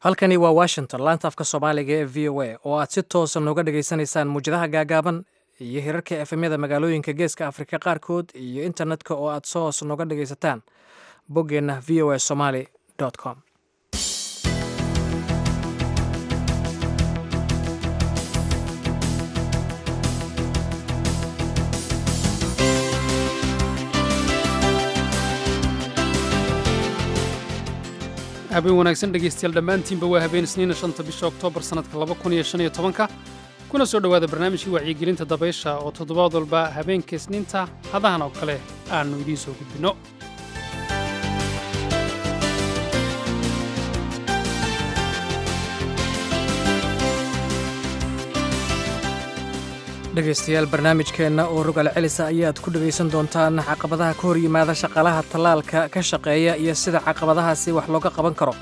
Halkani waa Washington, laanta afka Soomaaliga ee VOA, oo aad si toosa nooga dhagaysanaysaan muwjadaha gaagaaban iyo hirarka FM-yada magaalooyinka Geeska Afrika qaarkood iyo internetka oo aad soos nooga dhagaysataan boggeenna voasomali com. Habeen wanaagsan, dhegaystayaal dhammaantiinba. Waa habeen Isniina, 5-ta bisha Oktoobar, sannadka 2015-ka. Kuna soo dhowaada barnaamijkii wacyigelinta dabaysha oo toddobaad walba habeenka Isniinta hadahan oo kale aannu idiin soo gudbinno. Dhegaystayaal, barnaamijkeenna oo rogal celisa ayaad ku dhegaysan doontaan caqabadaha ka hor yimaada shaqaalaha tallaalka ka shaqeeya iyo sida caqabadahaasi wax looga qaban karo.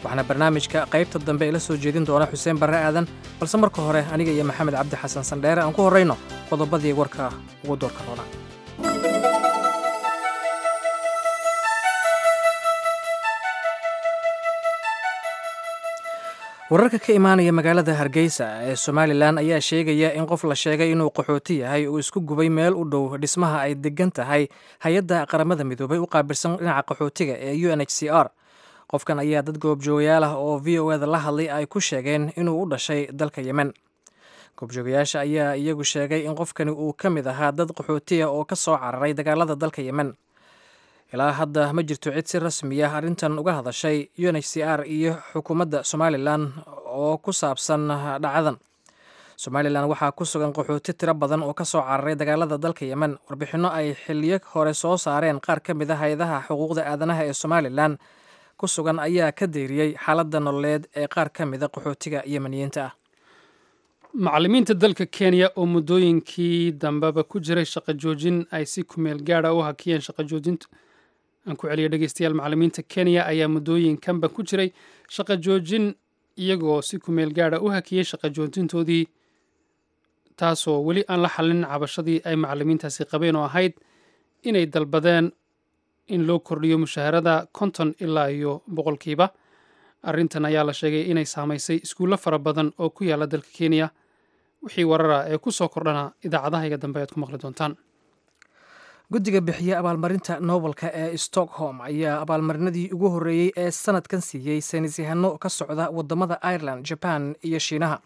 Waxaana barnaamijka qaybta dambe ila soo jeedin doona Xuseen Barre Aadan, balse marka hore aniga iyo Maxamed Cabdi Xasan Sandheere aan ku horrayno qodobadii warka ugu doorka roona. Wararka ka imaanaya magaalada Hargeysa ee Somalilan ayaa sheegaya in qof la sheegay inuu qaxooti yahay uu isku gubay meel u dhow dhismaha ay degan tahay hay-adda Qaramada Midoobay u qaabilsan dhinaca qaxootiga ee UNHCR. Qofkan ayaa dad goobjoogayaal ah oo VOA da la hadlay ay ku sheegeen inuu u dhashay dalka Yemen. Goobjoogayaasha ayaa iyagu sheegay in qofkani uu ka mid ahaa dad qaxootiya oo ka soo cararay dagaalada dalka Yemen. Ilaa hadda ma jirto cid si rasmi ah arrintan uga hadashay UNHCR iyo xukuumadda Somalilan oo ku saabsan dhacadan. Somalilan waxaa ku sugan qaxooti tiro badan oo ka soo cararay dagaalada dalka Yemen. Warbixinno ay xiliyo hore soo saareen qaar ka mid a hay-adaha xuquuqda aadanaha ee Somalilan ku sugan ayaa ka deyriyey xaaladda nololeed ee qaar ka mida qaxootiga Yemeniyiinta ah. Macallimiinta dalka Kenya oo muddooyinkii dambeba ku jiray shaqo joojin ay si kumeel gaadha u hakiyeen shaqo joojinta. Aan ku celiyo, dhegeystayaal. Macallimiinta Kenya ayaa muddooyinkanba ku jiray shaqo joojin, iyagoo si kumeel gaadha u hakiyey shaqo joojintoodii, taasoo weli aan la xallin cabashadii ay macallimiintaasi qabeen oo ahayd inay dalbadeen in loo kordhiyo mushaharada 50 ilaa iyo boqolkiiba. Arrintan ayaa la sheegay inay saamaysay iskuullo fara badan oo ku yaala dalka Kenya. Wixii warara ee ku soo kordhana idaacadahayga dambe ayaad ku maqli doontaan. Guddiga bixiya abaalmarinta Nobelka ee Stockholm ayaa abaalmarinadii ugu horreeyey ee sanadkan siiyey saynisyahano ka socda wadamada Ireland, Jaban iyo Shiinaha.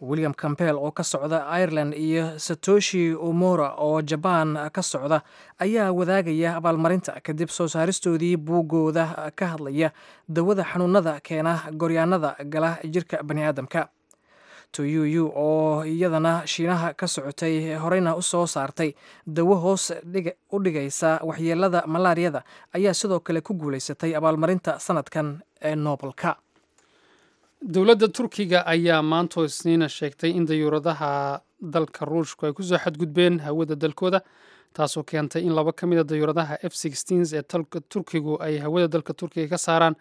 William Campbell oo ka socda Ireland iyo Satoshi Omura oo Jabaan ka socda ayaa wadaagaya abaalmarinta kadib soo saaristoodii buugooda ka hadlaya dawada xanuunada keena goryaanada gala jirka baniaadamka. Toyuyu oo iyadana Shiinaha ka socotay, horeyna u soo saartay dawo hoos u dhigaysa waxyeelada malaariyada, ayaa sidoo kale ku guulaysatay abaalmarinta sanadkan ee Nobelka. Dowladda Turkiga ayaa maantoo Isniina sheegtay in dayuuradaha dalka Ruushku ay kusoo xadgudbeen hawada dalkooda, taasoo keentay in laba ka mid a dayuuradaha F ee Turkigu ay hawada dalka Turkiga ka saaraan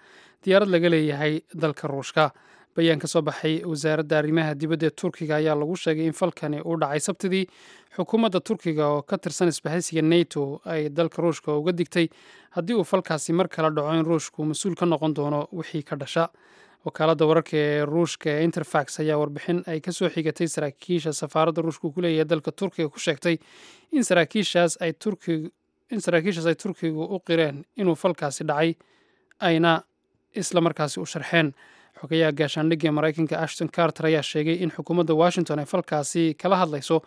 diyaarad laga leeyahay dalka Ruushka. Bayaan ka soo baxay wasaaradda arrimaha dibadda ee Turkiga ayaa lagu sheegay in falkani uu dhacay Sabtidii. Xukuumadda Turkiga oo ka tirsan isbahaysiga NATO ay dalka Ruushka uga digtay haddii uu falkaasi mar kale dhaco in Ruushku mas-uul ka noqon doono wixii ka dhasha. Wakaaladda wararka ee Ruushka ee Interfax ayaa warbixin ay kasoo xigatay saraakiisha safaaradda Ruushka ku leeyahay dalka Turkiga ku sheegtay in saraakiishaas ay Turkigu u qireen inuu falkaasi dhacay, ayna isla markaasi u sharxeen. Xogayaha gaashaandhigga ee Maraykanka Ashton Carter ayaa sheegay in xukuumadda Washington ay falkaasi kala hadlayso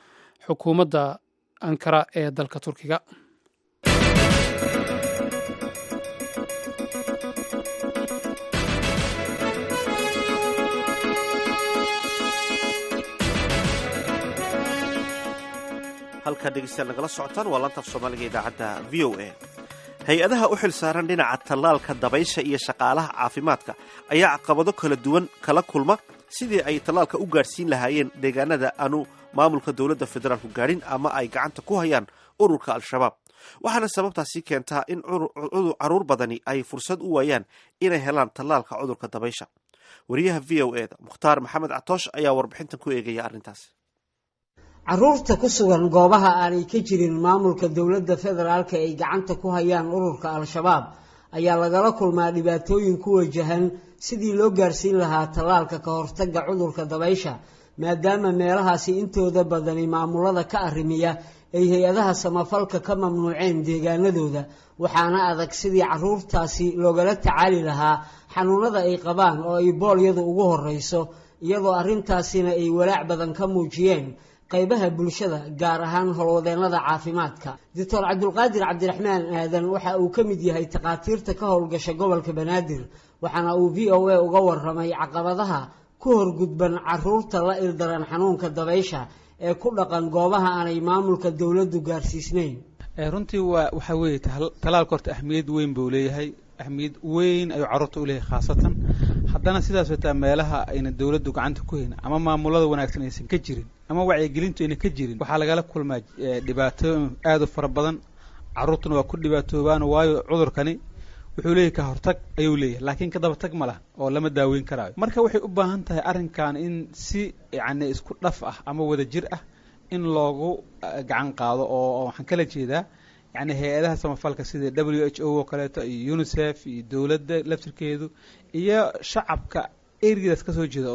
xukuumadda Ankara ee dalka Turkiga. Halkaa, dhegeystayaal, nagala socotaan waa laanta af Soomaaliga, idaacadda VOA. Hay-adaha u xil saaran dhinaca tallaalka dabaysha iyo shaqaalaha caafimaadka ayaa caqabado kala duwan kala kulma sidii ay tallaalka u gaadhsiin lahaayeen deegaanada aanu maamulka dowladda federaalku gaadhin ama ay gacanta ku hayaan ururka Al-Shabaab. Waxaana sababtaasi keentaa in caruur badani ay fursad u waayaan inay helaan tallaalka cudurka dabaysha. Wariyaha VOA da Mukhtaar Maxamed Catoosh ayaa warbixintan ku eegaya arrintaas. Caruurta ku sugan goobaha aanay ka jirin maamulka dowladda federaalka ay gacanta ku hayaan ururka Al-Shabaab ayaa lagala kulmaa dhibaatooyin ku wajahan Sidii loo gaarsiin lahaa tallaalka ka hortagga cudurka dabaysha, maadaama meelahaasi intooda badani maamulada ka arrimiya ay hay-adaha samafalka ka mamnuuceen deegaanadooda, waxaana adag sidii caruurtaasi loogala tacaali lahaa xanuunada ay qabaan oo ay boolyadu ugu horeyso, iyadoo arrintaasina ay walaac badan ka muujiyeen qaybaha bulshada, gaar ahaan howlwadeennada caafimaadka. Doctor Cabdulqaadir Cabdiraxmaan Aadan waxa uu ka mid yahay takhaatiirta ka howlgasha gobolka Banaadir, waxaana uu VOA uga waramay caqabadaha ku horgudban caruurta la ildaran xanuunka dabaysha ee ku dhaqan goobaha aanay maamulka dowladdu gaarsiisnayn. Runtii waa waxaa weeye, talaalka horta ahmiyad weyn buu leeyahay, ahmiyad weyn ayuu carruurta u leeyahay, khaasatan haddana sidaas wataa meelaha ayna dowladdu gacanta ku hayn ama maamulada wanaagsan aysan ka jirin ama wacyigelintu ayna ka jirin, waxaa lagala kulmaa dhibaatooyin aad u fara badan. Carruurtuna waa ku dhibaatoobaan, waayo cudurkani wuxuu leeyahay ka hortag ayuu leeyahay, laakiin ka daba tag ma laha oo lama daaweyn karaayo. Marka waxay u baahan tahay arrinkan in si yacni isku dhaf ah ama wada jir ah in loogu gacan qaado, oo waxaan kala jeedaa yacni hay-adaha samafalka sida WHO oo kaleeto iyo UNICEF iyo dowladda laftirkeedu iyo shacabka ereyadaas kasoo jeeda,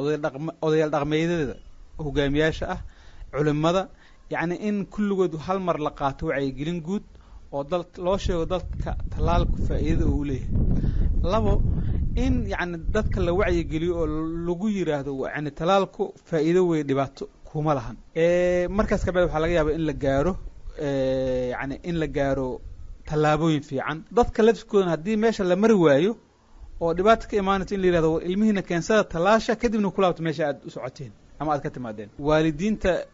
odayaal dhaqmeedyada, hogaamiyaasha ah, culimada, yacni in kulligood hal mar la qaato wacyigelin guud oo dal loo sheego dadka tallaalku faa'iidada uu leeyahay. Labo, in yacni dadka la wacyigeliyo oo lagu yiraahdo yani tallaalku faa'iido wey, dhibaato kuma lahan. Markaas kabacdi waxaa laga yaabaa in la gaaro yani in la gaaro tallaabooyin fiican. Dadka laftirkoodana haddii meesha la mari waayo oo dhibaata ka imaanayso, in la yirahdo war ilmihiina keensada tallaasha, kadibna ku laabto meesha aad u socoteen ama aad ka timaadeen. Waalidiinta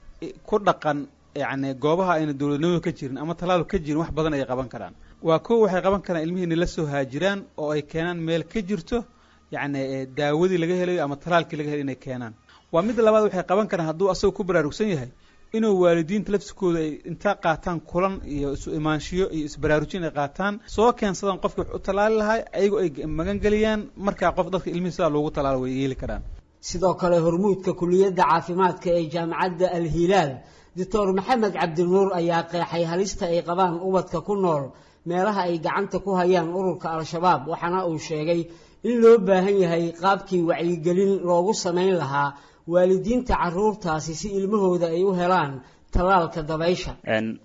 ku dhaqan yacni goobaha ayna dowladnimadu ka jirin ama tallaalu ka jirin wax badan ay qaban karaan. Waa kow, waxay qaban karaan ilmihiina la soo haajiraan oo ay keenaan meel ka jirto yacni daawadii laga helayo ama tallaalkii laga helayo inay keenaan. Waa midda labaad, waxay qaban karaan hadduu asagoo ku baraarugsan yahay inuu waalidiinta laftirkooda ay inta qaataan kulan iyo isu imaanshiyo iyo isbaraarujin ay qaataan, soo keensadaan qofkii wax u tallaali lahaa, ayagoo ay magan geliyaan. Markaa qof dadka ilmihii sidaa loogu tallaalo way yeeli karaan. Sidoo kale, hormuudka kuliyadda caafimaadka ee jaamacadda Al-Hilaal, Doctor Maxamed Cabdinuur, ayaa qeexay halista ay qabaan ubadka ku nool meelaha ay gacanta ku hayaan ururka Al-Shabaab, waxaana uu sheegay in loo baahan yahay qaabkii wacyigelin loogu samayn lahaa waalidiinta caruurtaasi si ilmahooda ay u helaan tallaalka dabaysha.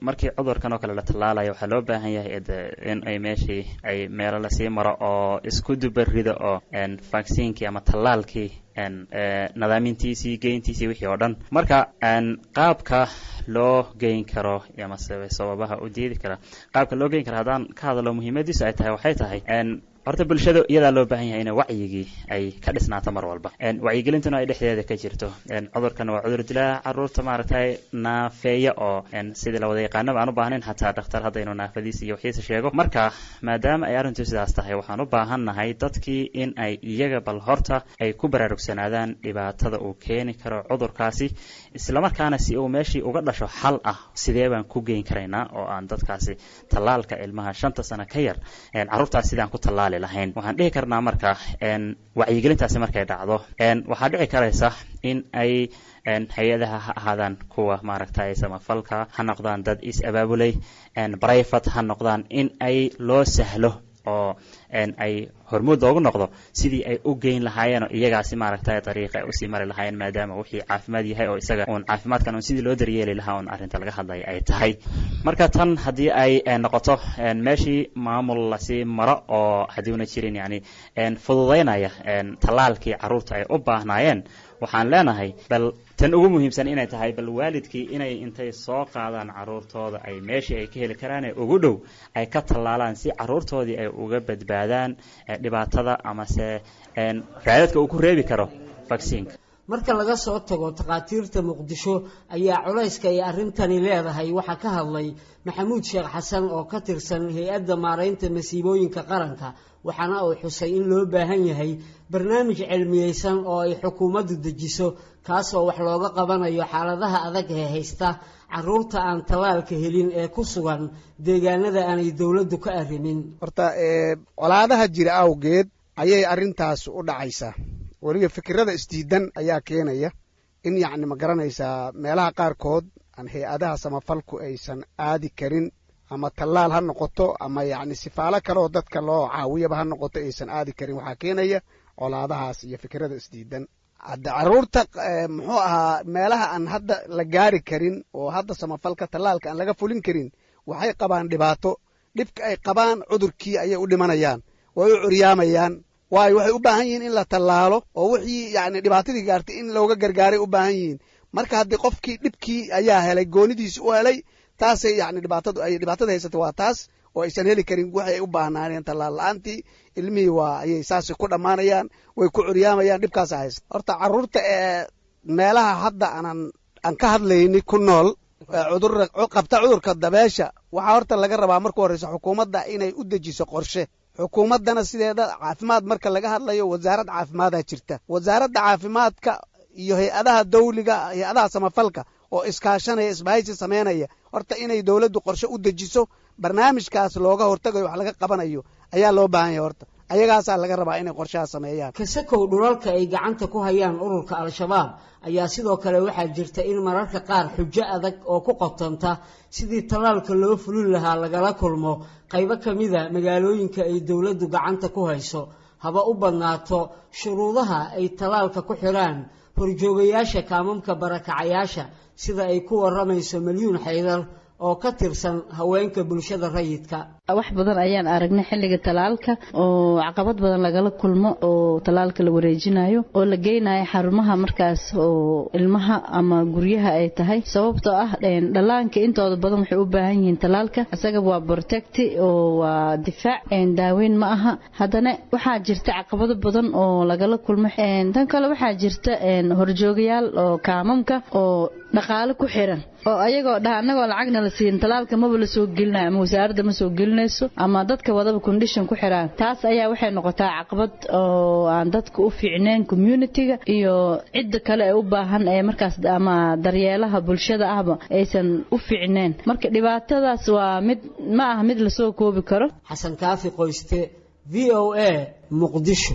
Markii cudurkan oo kale la tallaalayo, waxaa loo baahan yahay in ay meeshii ay meelo lasii maro oo isku dubarido oo vaccinkii ama tallaalkii nadaamintiisii, geyntiisii, wixii oo dhan. Marka qaabka loo geyn karo ama sababaha u diidi kara qaabka loo geyn karo haddaan ka hadalo, muhiimadiisu ay tahay waxay tahay horta bulshada iyadaa loo baahan yahay ina wacyigii ay ka dhisnaato mar walba, wacyigelintuna ay dhexdeeda ka jirto. Cudurkan waa cudur dilaa caruurta maaragtay naafeeya oo sidii la wada yaqaanaba aan u baahnayn xataa dhakhtar haddaynu naafadiisa iyo waxiisa sheego. Marka maadaama ay arrintu sidaas tahay, waxaan u baahannahay dadkii in ay iyaga bal horta ay ku baraarugsanaadaan dhibaatada uu keeni karo cudurkaasi, islamarkaana si uu meeshii uga dhasho xal ah sidee baan ku geyn karaynaa oo aan dadkaasi tallaalka ilmaha 5ta sano ka yar carruurtaas sidaan ku tallaali lahayn. Waxaan dhihi karnaa marka wacyigelintaasi markay dhacdo, waxaa dhici karaysa in ay hay-adaha ha ahaadaan kuwa maaragtay samafalka ha noqdaan, dad is abaabulay private ha noqdaan, in ay loo sahlo oo ay hormuud loogu noqdo sidii ay u geyn lahaayeen oo iyagaasi maaragtay dariiqa ay usii mari lahaayeen, maadaama wixii caafimaad yahay oo isaga uun caafimaadkan uun sidii loo daryeeli lahaa uun arrinta laga hadlaya ay tahay. Marka tan haddii ay noqoto meeshii maamul lasii maro oo haddiuna jirin yani fududaynaya tallaalkii carruurta ay u baahnaayeen, waxaan leenahay bal tan ugu muhiimsan inay tahay bal waalidkii inay intay soo qaadaan carruurtooda ay meeshii ay ka heli karaane ugu dhow ay ka tallaalaan, si carruurtoodii ay uga badbaadaan dhibaatada amase raadadka uu ku reebi karo vaccineka. Marka laga soo tago takhaatiirta Muqdisho ayaa culayska ay arrintani leedahay waxaa ka hadlay Maxamuud Sheekh Xasan oo ka tirsan hay-adda maaraynta masiibooyinka qaranka, waxaana uu xusay in loo baahan yahay barnaamij cilmiyeysan oo ay xukuumaddu dejiso, kaasoo wax looga qabanayo xaaladaha adag ee haysta caruurta aan tallaalka helin ee ku sugan deegaanada aanay dowladdu ka arrimin. Horta colaadaha jira awgeed ayay arrintaas u dhacaysaa. Weliba fikirada isdiidan ayaa keenaya in yacni ma garanaysaa meelaha qaarkood aan hay-adaha samafalku aysan aadi karin, ama tallaal ha noqoto ama yacni sifaalo kale oo dadka loo caawiyaba ha noqoto, aysan aadi karin. Waxaa keenaya Colaadahaas iyo fikirada isdiidan. Hadda caruurta, muxuu ahaa, meelaha aan hadda la gaari karin oo hadda samafalka tallaalka aan laga fulin karin, waxay qabaan dhibaato. Dhibka ay qabaan, cudurkii ayay u dhimanayaan, way u curyaamayaan, waayo waxay u baahan yihiin in la tallaalo oo wixii yacni dhibaatadii gaartay in looga gargaaray u baahan yihiin. Marka haddii qofkii dhibkii ayaa helay, goonidiisi u helay, taasay yacni dhibaatadu ay dhibaatada haysata waa taas oo aysan heli karin waxay u baahnaaneen. Tallaal la-aantii ilmihii waa ayay saasay ku dhammaanayaan, way ku curyaamayaan, dhibkaasa haysta. Horta carruurta ee meelaha hadda aanan aan ka hadlayni ku nool cudur qabta cudurka dabeesha, waxaa horta laga rabaa marka horeysa xukuumadda inay u dejiso qorshe. Xukuumaddana sideeda caafimaad marka laga hadlayo, wasaarad caafimaadaa jirta. Wasaaradda caafimaadka iyo hay-adaha dawliga, hay-adaha samafalka oo iskaashanaya, isbahaysi sameynaya, horta inay dowladdu qorshe u dejiso barnaamijkaas looga hortagayo, wax laga qabanayo ayaa loo baahan yahay. Horta ayagaasaa laga rabaa inay qorshaha sameeyaan. Kasakow dhulalka ay gacanta ku hayaan ururka Al-Shabaab ayaa sidoo kale waxaa jirta in mararka qaar xujo adag oo ku qotanta sidii tallaalka loo fulin lahaa lagala kulmo qaybo ka mida magaalooyinka ay dowladdu gacanta ku hayso, haba u badnaato shuruudaha ay tallaalka ku xidhaan horjoogayaasha kaamamka barakacayaasha, sida ay ku waramayso Malyuun Xaydar oo ka tirsan haweenka bulshada rayidka. Wax badan ayaan aragnay xilliga talaalka oo caqabad badan lagala kulmo, oo talaalka la wareejinayo oo la geynayo xarumaha markaas oo ilmaha ama guryaha ay tahay, sababtoo ah dhallaanka intooda badan waxay u baahan yihiin talaalka. Isaga waa protect oo waa difaac, daaweyn ma aha. Haddana waxaa jirta caqabado badan oo lagala kulmo. Tan kale, waxaa jirta horjoogayaal oo kaamamka oo dhaqaale ku xiran oo ayagoo dhaha, "Anagoo lacagna la siin talaalka maba la soo gelinayo," ama wasaaradda ma soo gelinayso, ama dadka wadaba condition ku xiraan. Taas ayaa waxay noqotaa caqabad oo aan dadka u fiicnayn, community-ga iyo cidda kale ee u baahan ee markaas ama daryeelaha bulshada ahba aysan u fiicnayn. Marka dhibaatadaas waa mid ma aha mid lasoo koobi karo. Xasan Kaafi Qoyste, VOA, Muqdisho.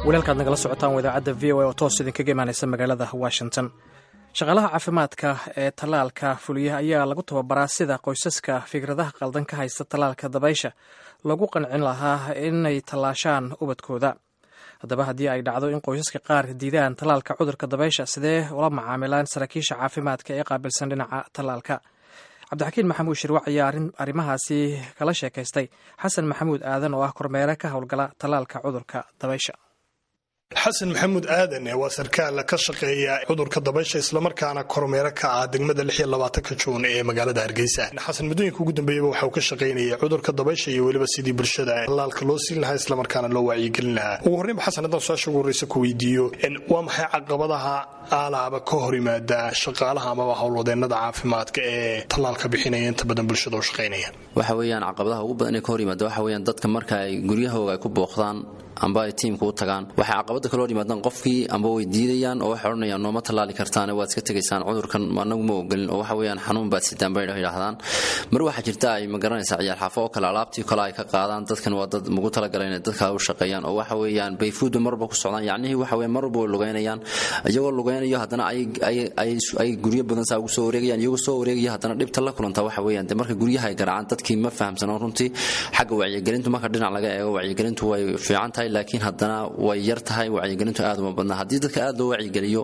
Walaalkaad nagala socotaan waa idaacadda VOA oo toos idinkaga imaaneysa magaalada Washington. Shaqaalaha caafimaadka ee tallaalka fuliya ayaa lagu tababaraa sida qoysaska fikradaha qaldan ka haysta tallaalka dabaysha lagu qancin lahaa inay tallaashaan ubadkooda. Haddaba, haddii ay dhacdo in qoysaska qaar diidaan tallaalka cudurka dabaysha, sidee ula macaamilaan saraakiisha caafimaadka ee qaabilsan dhinaca tallaalka? Cabdixakiin Maxamuud Shirwac ayaa arrimahaasi kala sheekaystay Xasan Maxamuud Aadan oo ah kormeere ka howlgala tallaalka cudurka dabaysha. Xasan Maxamuud Aadan waa sarkaal ka shaqeeya cudurka dabaysha, islamarkaana kormeere ka ah degmada 26-ka Juun ee magaalada Hargeysa. Xasan, muddooyinka ugu dambeeyaba waxa uu ka shaqaynayay cudurka dabaysha iyo weliba sidii bulshada tallaalka loo siin lahaa, islamarkaana loo wacyigelin lahaa. Ugu horreynba, Xasan, haddaan su-aasha ugu horreysa ku weydiiyo, waa maxay caqabadaha aalaaba ka hor yimaada shaqaalaha amaba howlwadeennada caafimaadka ee tallaalka bixinaya, inta badan bulshada u shaqaynaya? Waxa weeyaan caqabadaha ugu badan ee ka hor yimaada waxa weeyaan dadka marka ay guryahooga ay ku booqdaan amba ay tiimka u tagaan, waxay caqabada kala hor yimaadaan qofkii amba way diidayaan oo waxay odhanayaan, "Nooma tallaali kartaan, waad iska tegaysaan, cudurkan anagu ma ogolin," oo waxa weeyaan xanuun baad sidaan bay yidhaahdaan. Mar waxaa jirta ay ma garanaysaa ciyaal xaafo oo kale alaabtii kale ay ka qaadaan. Dadkan waa dad mugu talagalay inay dadka u shaqeeyaan oo waxa weeyaan bayfuudu marba ku socdaan, yacnihii waxa weeyaan marwalba way lugeynayaan. Iyagoo lugeynayo haddana ay guryo badan saa ugu soo wareegayaan, iyagoo soo wareegaya haddana dhibta la kulanta waxa weeyaan de marka guryaha ay garaacaan, dadkii ma fahamsano runtii. Xagga wacyigelintu, marka dhinac laga eego, wacyigelintu way fiican tahay, laakiin haddana way yar tahay wacyigelintu, aad uma badna. Haddii dadka aad loo wacyigeliyo,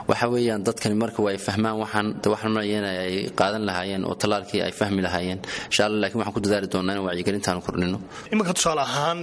waxa weeyaan dadkani marka way fahmaan waxaan waxaan malaya in ay qaadan lahaayeen oo tallaalkii ay fahmi lahaayeen, insha Allah. Laakiin waxaan ku dadaali doonaa in wacyigelintaan kordhino. Iminka tusaale ahaan,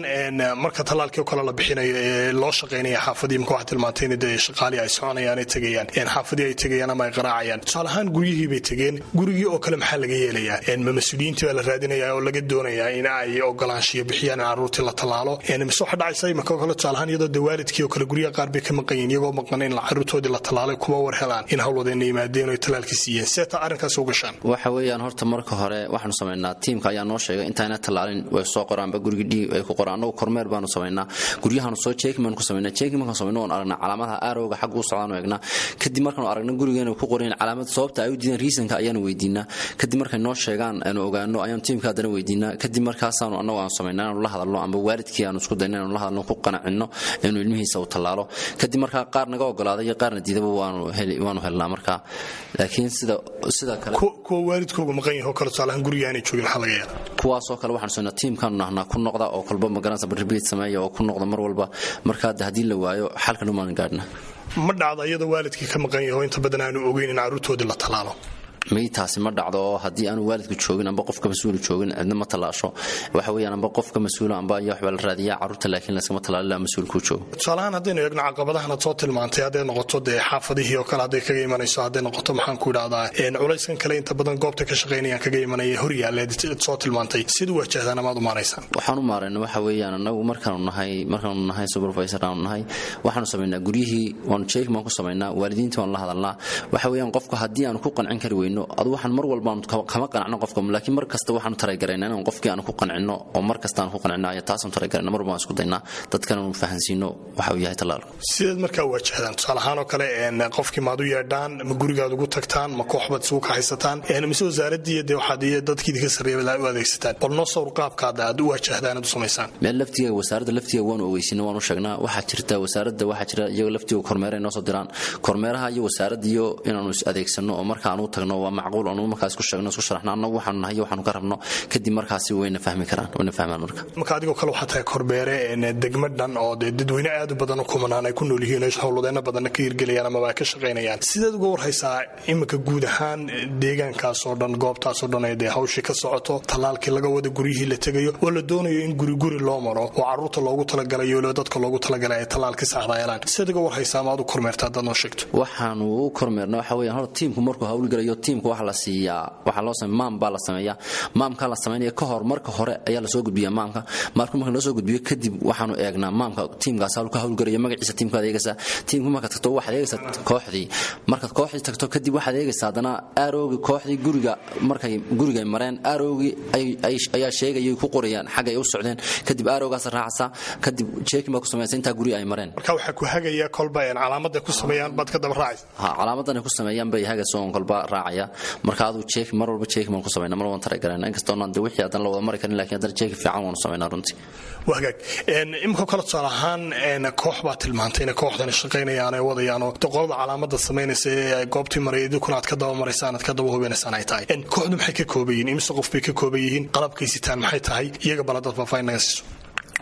marka tallaalkii oo kale la bixinayo ee loo shaqaynaya xaafadii, imika waxaa tilmaantay in dee shaqaalii ay soconayaan ay tegayaan, xaafadii ay tegayaan ama ay qaraacayaan, tusaale ahaan guryihii bay tegeen, gurigii oo kale maxaa laga yeelayaa? Ma mas-uuliyiintii baa la raadinayaa oo laga doonayaa in ay ogolaanshiyo bixiyaan in carruurtii la tallaalo, mise waxa dhacaysa imika oo kale tusaale ahaan iyadoo dee waalidkii oo kale guryaha qaar bay ka maqan yihiin, iyagoo maqan in carruurtoodii la tallaalay kuma war helaan in howlwadeenna yimaadeen oo ay tallaalkii siiyeen? See taa arrinkaas u gashaan? Waxa weeyaan horta marka hore waxaanu samaynaa, tiimka ayaa noo sheegay intaayna tallaalin way soo qoraanba gurigii dhiig ay ku qoraan. Annagu kormeer baanu samaynaa, guryahaanu soo checking baanu ku samaynaa. Checking markaan samayno oon aragnaa calaamadaha aarowga xagga u socdaan eegnaa. Kadib markaanu aragna gurigeena ku qorayn calaamad, sababta ay u diideen, reasonka ayaanu weydiinaa. Kadib markay noo sheegaan aanu ogaano ayaanu tiimka haddana weydiinaa. Kadib markaasaanu annagu aanu samaynaa inaanu la hadalno amba waalidkii aanu isku dayno inaanu la hadalno. hadalno, ku qanacino inuu ilmihiisa uu tallaalo. Kadib markaa qaar naga ogolaaday iyo qaarna diidaba waanu helnaa markaa. Laakiin sida kale Kuwa waalidkooga maqan yaho kale, tusaalahaan guriga aanay joogin, maxaa laga yeelaa? Kuwaasoo kale waxaanu soynaa tiimkaanu nahnaa ku noqda oo kolba magaranaysa repeat sameeya oo ku noqda mar walba. Markaa haddii la waayo, xalka dhumaan gaadhna. Ma dhacda iyadoo waalidkii ka maqan yaho inta badan aanu ogeyn in carruurtoodii la tallaalo? May, taasi ma dhacdo. Oo haddii aanu waalidku joogin amba qofka mas-uulu joogin, cidna ma tallaasho. Waxa weeyaan amba qofka mas-uula amba ayaa waxbaa la raadiyaa carruurta, laakiin layskama tallaalo ilaa mas-uulkuu joogo. Tusaalahaan haddaynu eegno caqabadahan aad soo tilmaantay, hadday noqoto dee xaafadihii oo kale hadday kaga imanayso, hadday noqoto maxaan ku idhahdaa culayskan kale inta badan goobta ka shaqaynayaan kaga imanaya horyaaleed soo tilmaantay, sida wajahdaan amaad u maaraysaan? Waxaan u maarayna waxa weeyaan, annagu markaanu nahay supervisor aanu nahay, waxaanu samaynaa guryihii waanu checking baan ku samaynaa, waalidiinta waanu la hadalnaa. Waxa weeyaan qofka haddii aanu ku qancin kari weyno, adu waxaan mar walba kama qanacno qofka, laakiin mar kasta waxaanu try garaynaa inaan qofkii aanu ku qancino, oo mar kasta aanu ku qancino ayaa taasanu try garayna. Mar walba waan isku daynaa dadkan aanu fahansiino waxa uu yahay tallaalku. Sideed markaa wajahdaan? Tusaale ahaan oo kale qofkii maad u yeedhaan, ma gurigaad ugu tagtaan, ma kooxbaad isugu kaxaysataan, mise wasaaraddii dee waxaad iyo dadkii idinka sarreeya u adeegsataan? Bal noo sawir qaabkaad aad u wajahdaan, aad u samaysaan. Meel laftiga wasaaradda laftiga waanu ogeysiina, waanu sheegnaa. Waxaa jirta wasaaradda, waxaa jira iyaga laftiga kormeera inoo soo diraan, kormeeraha iyo wasaaradda iyo inaanu is adeegsano oo marka aanu tagno waa macquul, aanu markaas ku sheegno, isku sharaxno annagu waxaanu nahay iyo waxaanu ka rabno. Kadib markaasi wayna fahmi karaan, wayna fahmaan marka. Marka adigoo kale waxaa tahay korbeere degmo dhan oo dee dadweyne aad u badan u kumanaan ay ku nool yihiin, howlwadeeno badanna ka hirgelayaan amaba ay ka shaqaynayaan. Sideed uga warhaysaa iminka guud ahaan deegaankaas oo dhan, goobtaas oo dhan ee dee hawshii ka socoto, tallaalkii laga wada, guryihii la tegayo oo la doonayo in guri guri loo maro oo carruurta loogu talagalayo weliba dadka loogu talagalay ay tallaalkii saxda helaan? Sideed uga warhaysaa ama aad u kormeertaa haddaad noo sheegto? Waxaanu u kormeerna waxa weeyaan, horta tiimku markuu hawlgalayo, tiimka waxa la siiyaa, waxaa loo sameeya maam baa la sameeyaa. Maamkaa la samaynaya ka hor, marka hore ayaa lasoo gudbiyaa maamka. Marka loo soo gudbiyo kadib, waxaanu eegnaa maamka tiimkaas hawl ka hawlgalayo, magaciisa tiimkaad eegaysaa. Tiimku markaad tagto waxaad eegaysaa kooxdii. Markaad kooxdii tagto kadib, waxaad eegaysaa haddana arrowgii kooxdii guriga markay guriga mareen, arrowgii ayaa sheegayay ku qorayaan xagga ay u socdeen. Kadib arrowgaas raacaysaa, kadib checking baa ku samaysa intaa guri ay mareen. Marka waxaa ku hagaya kolba calaamada ku sameeyaan baad ka daba raacaysa? Ha, calaamadan ay ku sameeyaan bay hagaysa oon kolba raacaya. Marka aduu check mar walba checking baan ku samaynaa, mar waan try garayna, inkastoo aan de wixii haddana la wada mari karin, laakiin haddana checking fiican waanu samaynaa runtii. Waa hagaag. Imika kale tusaale ahaan koox baa tilmaantay inay kooxdani shaqaynayaan ay wadayaan oo qolada calaamada samaynaysa ee goobtii maray idinkuna aad ka daba maraysaan, aad ka daba hubinaysaan ay tahay. Kooxdu maxay ka kooban yihiin? Imise qof bay ka kooban yihiin? Qalabkay sitaan maxay tahay? Iyaga bal haddaad faahfaahin naga siiso.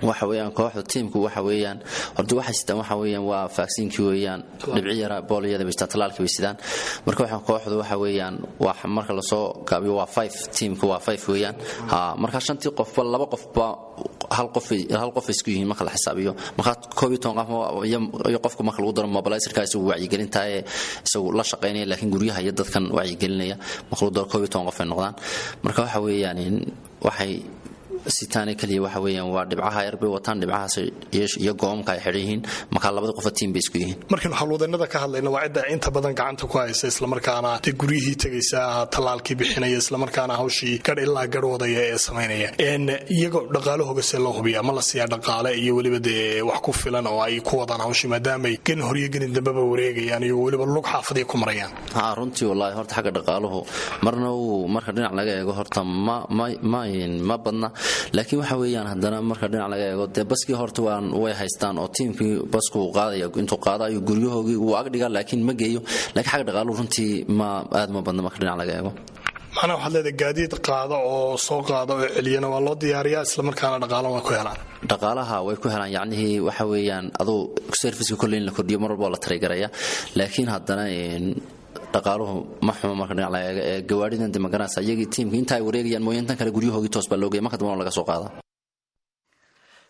Waxa weeyaan kooxda tiimku waxa weeyaan horta waxay sitaan waxa weeyaan waa vaccinekii weeyaan, dhibci yara booliyada bay sitaan, talaalkii bay sidaan. Marka waxa kooxdu waxa weeyaan waa marka lasoo gaabiyo waa five, tiimku waa five weeyaan. Ha, marka shantii qofba laba qofba hal qof isku yihiin marka la xisaabiyo. Marka 11 qof iyo qofka marka lagu daro mobilizerka, isagu wacyigelinta ee isagu la shaqaynaya, laakiin guryaha iyo dadkan wacyigelinaya marka lagu daro, 11 qof ay noqdaan. Marka waxa weeyaan waxay sitaane kaliya waxa weeyaan waa dhibcaha yar bay wataan, dhibcahaas iyo goomka ay xidhan yihiin. Marka labada qofa tiim bay isku yihiin. Markaynu howlwadeenada ka hadlayno, waa cidda inta badan gacanta ku haysa, islamarkaana dee guryihii tegaysa, tallaalkii bixinaya, islamarkaana hawshii gadh ilaa gadh wadaya ee samaynaya. Iyagoo dhaqaalahooga see loo hubiyaa? Ma la siiyaa dhaqaale iyo weliba dee wax ku filan oo ay ku wadaan hawshii, maadaamay gelin horyo gelin dambeba wareegayaan iyo weliba lug xaafadii ku marayaan? Ha, runtii wallaahi horta xagga dhaqaaluhu marna uu marka dhinac laga eego horta ma badna, laakiin waxa weeyaan haddana marka dhinac laga eego dee baskii horta waan way haystaan oo tiimkii basku uu qaadaya, intuu qaado ayuu guryahoogii wuu agdhigaa, laakiin ma geeyo. Laakiin xagga dhaqaaluhu runtii ma aad ma badna marka dhinac laga eego. Macnaha waxaad leedahay gaadiid qaada oo soo qaada oo celiyana waa loo diyaariyaa, islamarkaana dhaqaalo waa ku helaan? Dhaqaalaha way ku helaan. Yacnihii waxa weeyaan aduu serviceka kolley in la kordhiyo mar walba waa la try garaya, laakiin haddana dhaqaaluhu ma xumo marka dhinac laga eego. Ee gawaadhidan de magaranaysa iyagii tiimka inta ay wareegayaan mooye, intan kale guryahoogii toos baa loo geeya, marka dambana laga soo qaada.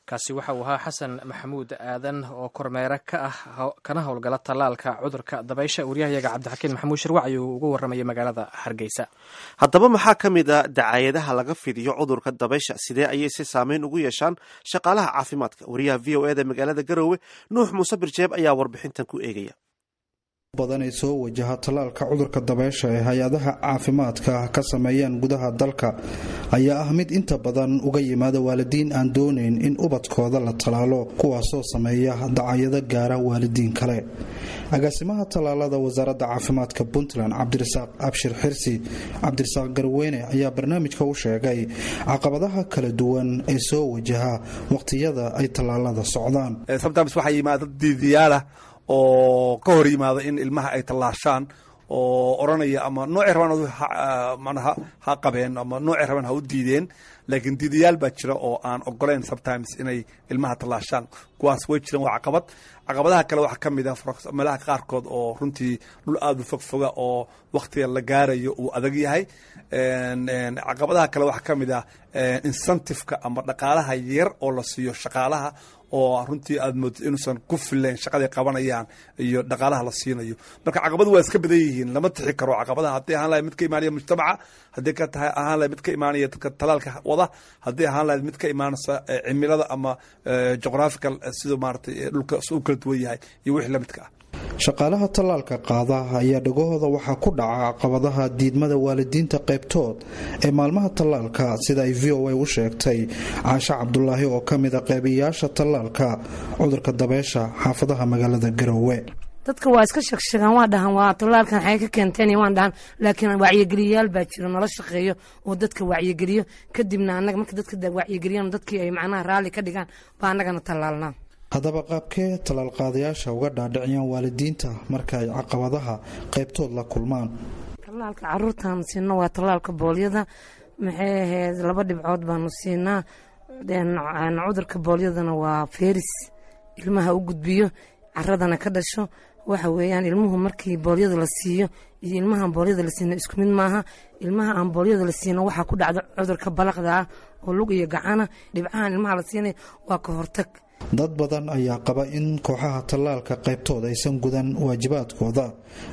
Kaasi waxa uu ahaa Xasan Maxamuud Aadan oo kormeere ka ah kana howlgala tallaalka cudurka dabaysha. Waryahayaga Cabdixakiin Maxamuud Shirwac ayuu ugu warramayay magaalada Hargeysa. Haddaba maxaa ka mid a dacaayadaha laga fidiyo cudurka dabaysha? Sidee ayay si saameyn ugu yeeshaan shaqaalaha caafimaadka? Wariyaha VOA da magaalada Garowe, Nuux Muuse Birjeeb, ayaa warbixintan ku eegaya. Badan ay soo wajaha tallaalka cudurka dabaysha ee hay-adaha caafimaadka ka sameeyaan gudaha dalka ayaa ah mid inta badan uga yimaada waalidiin aan doonayn in ubadkooda la tallaalo, kuwaasoo sameeya dacayado gaara waalidiin kale. Agaasimaha tallaalada wasaaradda caafimaadka Puntland, Cabdirasaaq Abshir Xirsi Cabdirasaaq Garweyne, ayaa barnaamijka u sheegay caqabadaha kala duwan ee soo wajaha waqtiyada ay tallaalada socdaan. Sometimes waxaa yimaada dad diidiyaalah oo ka hor yimaada in ilmaha ay tallaashaan oo odhanaya ama noocay rabaan manaha ha qabeen ama noocay rabaan ha u diideen, laakiin diidayaal baa jira oo aan ogolayn sometimes inay ilmaha tallaashaan. Kuwaas way jiraan, waa caqabad. Caqabadaha kale waxaa ka mid ah meelaha qaarkood oo runtii dhul aada u fogfoga oo wakhtiga la gaarayo uu adag yahay. Caqabadaha kale waxaa ka mid ah incentive-ka ama dhaqaalaha yar oo la siiyo shaqaalaha oo runtii aad moodid inuusan ku filayn shaqaday qabanayaan iyo dhaqaalaha la siinayo. Marka caqabadu waa iska badan yihiin, lama tixi karo caqabadaha. Haddii ahaan lahayd mid ka imaanaya mujtamaca, haddii ka tahay ahaan lahayd mid ka imaanaya dadka talaalka wada, haddii ahaan lahayd mid ka imaanaysa cimilada ama geographical, siduu maaragtay dhulka u kala duwan yahay iyo wixii la midka ah. Shaqaalaha tallaalka qaada ayaa dhagahooda waxaa ku dhaca caqabadaha diidmada waalidiinta qaybtood ee maalmaha tallaalka, sida ay VOA u sheegtay Caashe Cabdulaahi oo ka mid a qeybiyaasha tallaalka cudurka dabeesha xaafadaha magaalada Garowe. Dadka waa iska sheegsheegaan, waa dhahan waa tallaalkan xay ka keenteen, waan dhahan, laakiin wacyigeliyayaal baa jiro nala shaqeeyo oo dadka wacyigeliyo. Kadibna annaga marka dadka wacyigeliyaan, dadkii ay macnaha raalli ka dhigaan, baa annagana tallaalnaa. Haddaba qaabkee tallaalqaadayaasha uga dhaadhiciyaan waalidiinta marka ay caqabadaha qaybtood la kulmaan? Tallaalka caruurtaanu siino waa tallaalka boolyada. Maxay ahayd, laba dhibcood baanu siinaa. Cudurka boolyadana waa feris ilmaha u gudbiyo, caradana ka dhasho. Waxa weeyaan, ilmuhu markii boolyada la siiyo iyo ilmahaan boolyada la siino isku mid maaha. Ilmaha aan boolyada la siino waxaa ku dhacda cudurka balaqda ah oo lug iyo gacana. Dhibcahan ilmaha la siinaya waa ka hortag. Dad badan ayaa qaba in kooxaha tallaalka qaybtooda aysan gudan waajibaadkooda,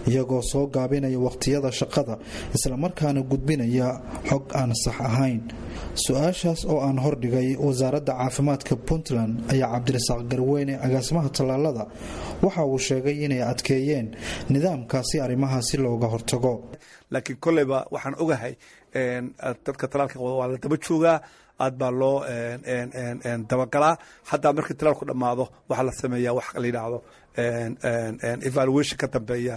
iyagoo soo gaabinaya wakhtiyada shaqada, islamarkaana gudbinaya xog aan sax ahayn. Su-aashaas oo aan hordhigay wasaaradda caafimaadka Puntland ayaa Cabdirasaaq Garweyne, agaasimaha tallaalada, waxa uu sheegay inay adkeeyeen nidaamkaasi arrimahaasi looga hortago. Laakiin kolleyba waxaan ogahay dadka tallaalka qaba waa la daba joogaa, aad baa loo dabagalaa. Xataa markii talaalku dhammaado waxaa la sameeyaa wax la yidhaahdo evaluation ka dambeeya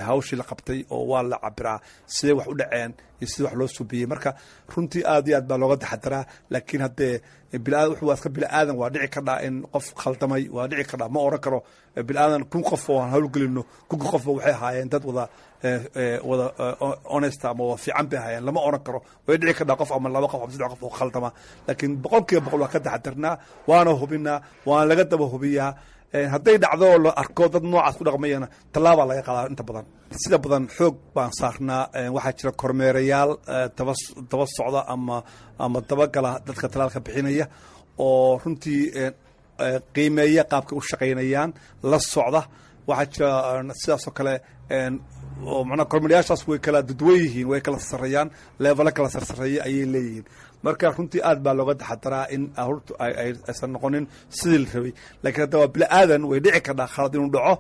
hawshii la qabtay, oo waa la cabiraa sidee wax u dhaceen iyo sidee wax loo subiyey. Marka runtii aad iyo aad baa looga taxadaraa, laakiin haddee waa iska bini'aadan, waa dhici kardhaa in qof khaldamay, waa dhici kardhaa. Ma oran karo bini'aadan 1000 qof oo aan howlgelino 1000ka qofba waxay ahaayeen dad wada honest ama wada fiican bay ahaayeen, lama oran karo. Way dhici kardhaa qof ama laba qof ama saddex qof oo khaldama, laakiin 100% waa ka taxadarnaa, waana hubinaa, waana laga daba hubiyaa. Hadday dhacdo oo la arko dad noocaas ku dhaqmayana, tallaabaa laga qaadaa. Inta badan, sida badan, xoog baan saarnaa. Waxaa jira kormeerayaal daba socda ama dabagala dadka talaalka bixinaya oo runtii qiimeeya qaabkay u shaqaynayaan, la socda. Waxaa jira sidaasoo kale oo macnaha kormeerayaashaas way kala dadwan yihiin, way kala sarreeyaan, level-o kala sarsareeya ayay leeyihiin. Marka runtii aad baa looga taxadaraa in aruurtu aysan noqonin sidii la rabay, laakiin hadda waa bini'aadan, way dhici kardhaa khalad inuu dhaco.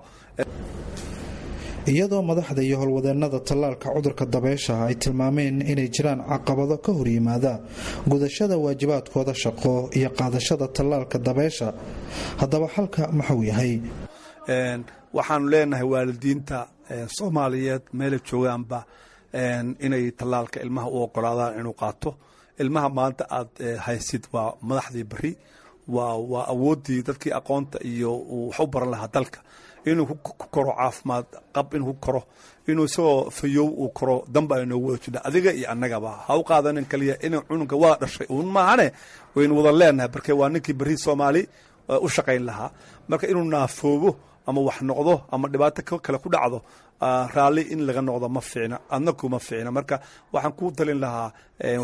Iyadoo madaxda iyo howlwadeennada tallaalka cudurka dabeysha ay tilmaameen inay jiraan caqabado ka hor yimaada gudashada waajibaadkooda shaqo iyo qaadashada tallaalka dabeysha, haddaba xalka maxuu yahay? Waxaanu leenahay waalidiinta Soomaaliyeed meelay joogaanba inay tallaalka ilmaha u ogolaadaan inuu qaato. Ilmaha maanta aad haysid waa madaxdii beri, waa awooddii dadkii aqoonta iyo wax u baran lahaa dalka. Inuu ku koro caafimaad qab, inuu ku koro, inuu isagoo fayow uu koro, danba ay noogu wada jirna adiga iyo annagaba. Ha u qaadanin kaliya inuu cunugga waa dhashay uun maahane, waynu wada leenahay, marke waa ninkii berri Soomaali u shaqayn lahaa. Marka inuu naafoobo ama wax noqdo ama dhibaato kale ku dhacdo, raalli in laga noqdo ma fiicna, adna kuma fiicna. Marka waxaan ku talin lahaa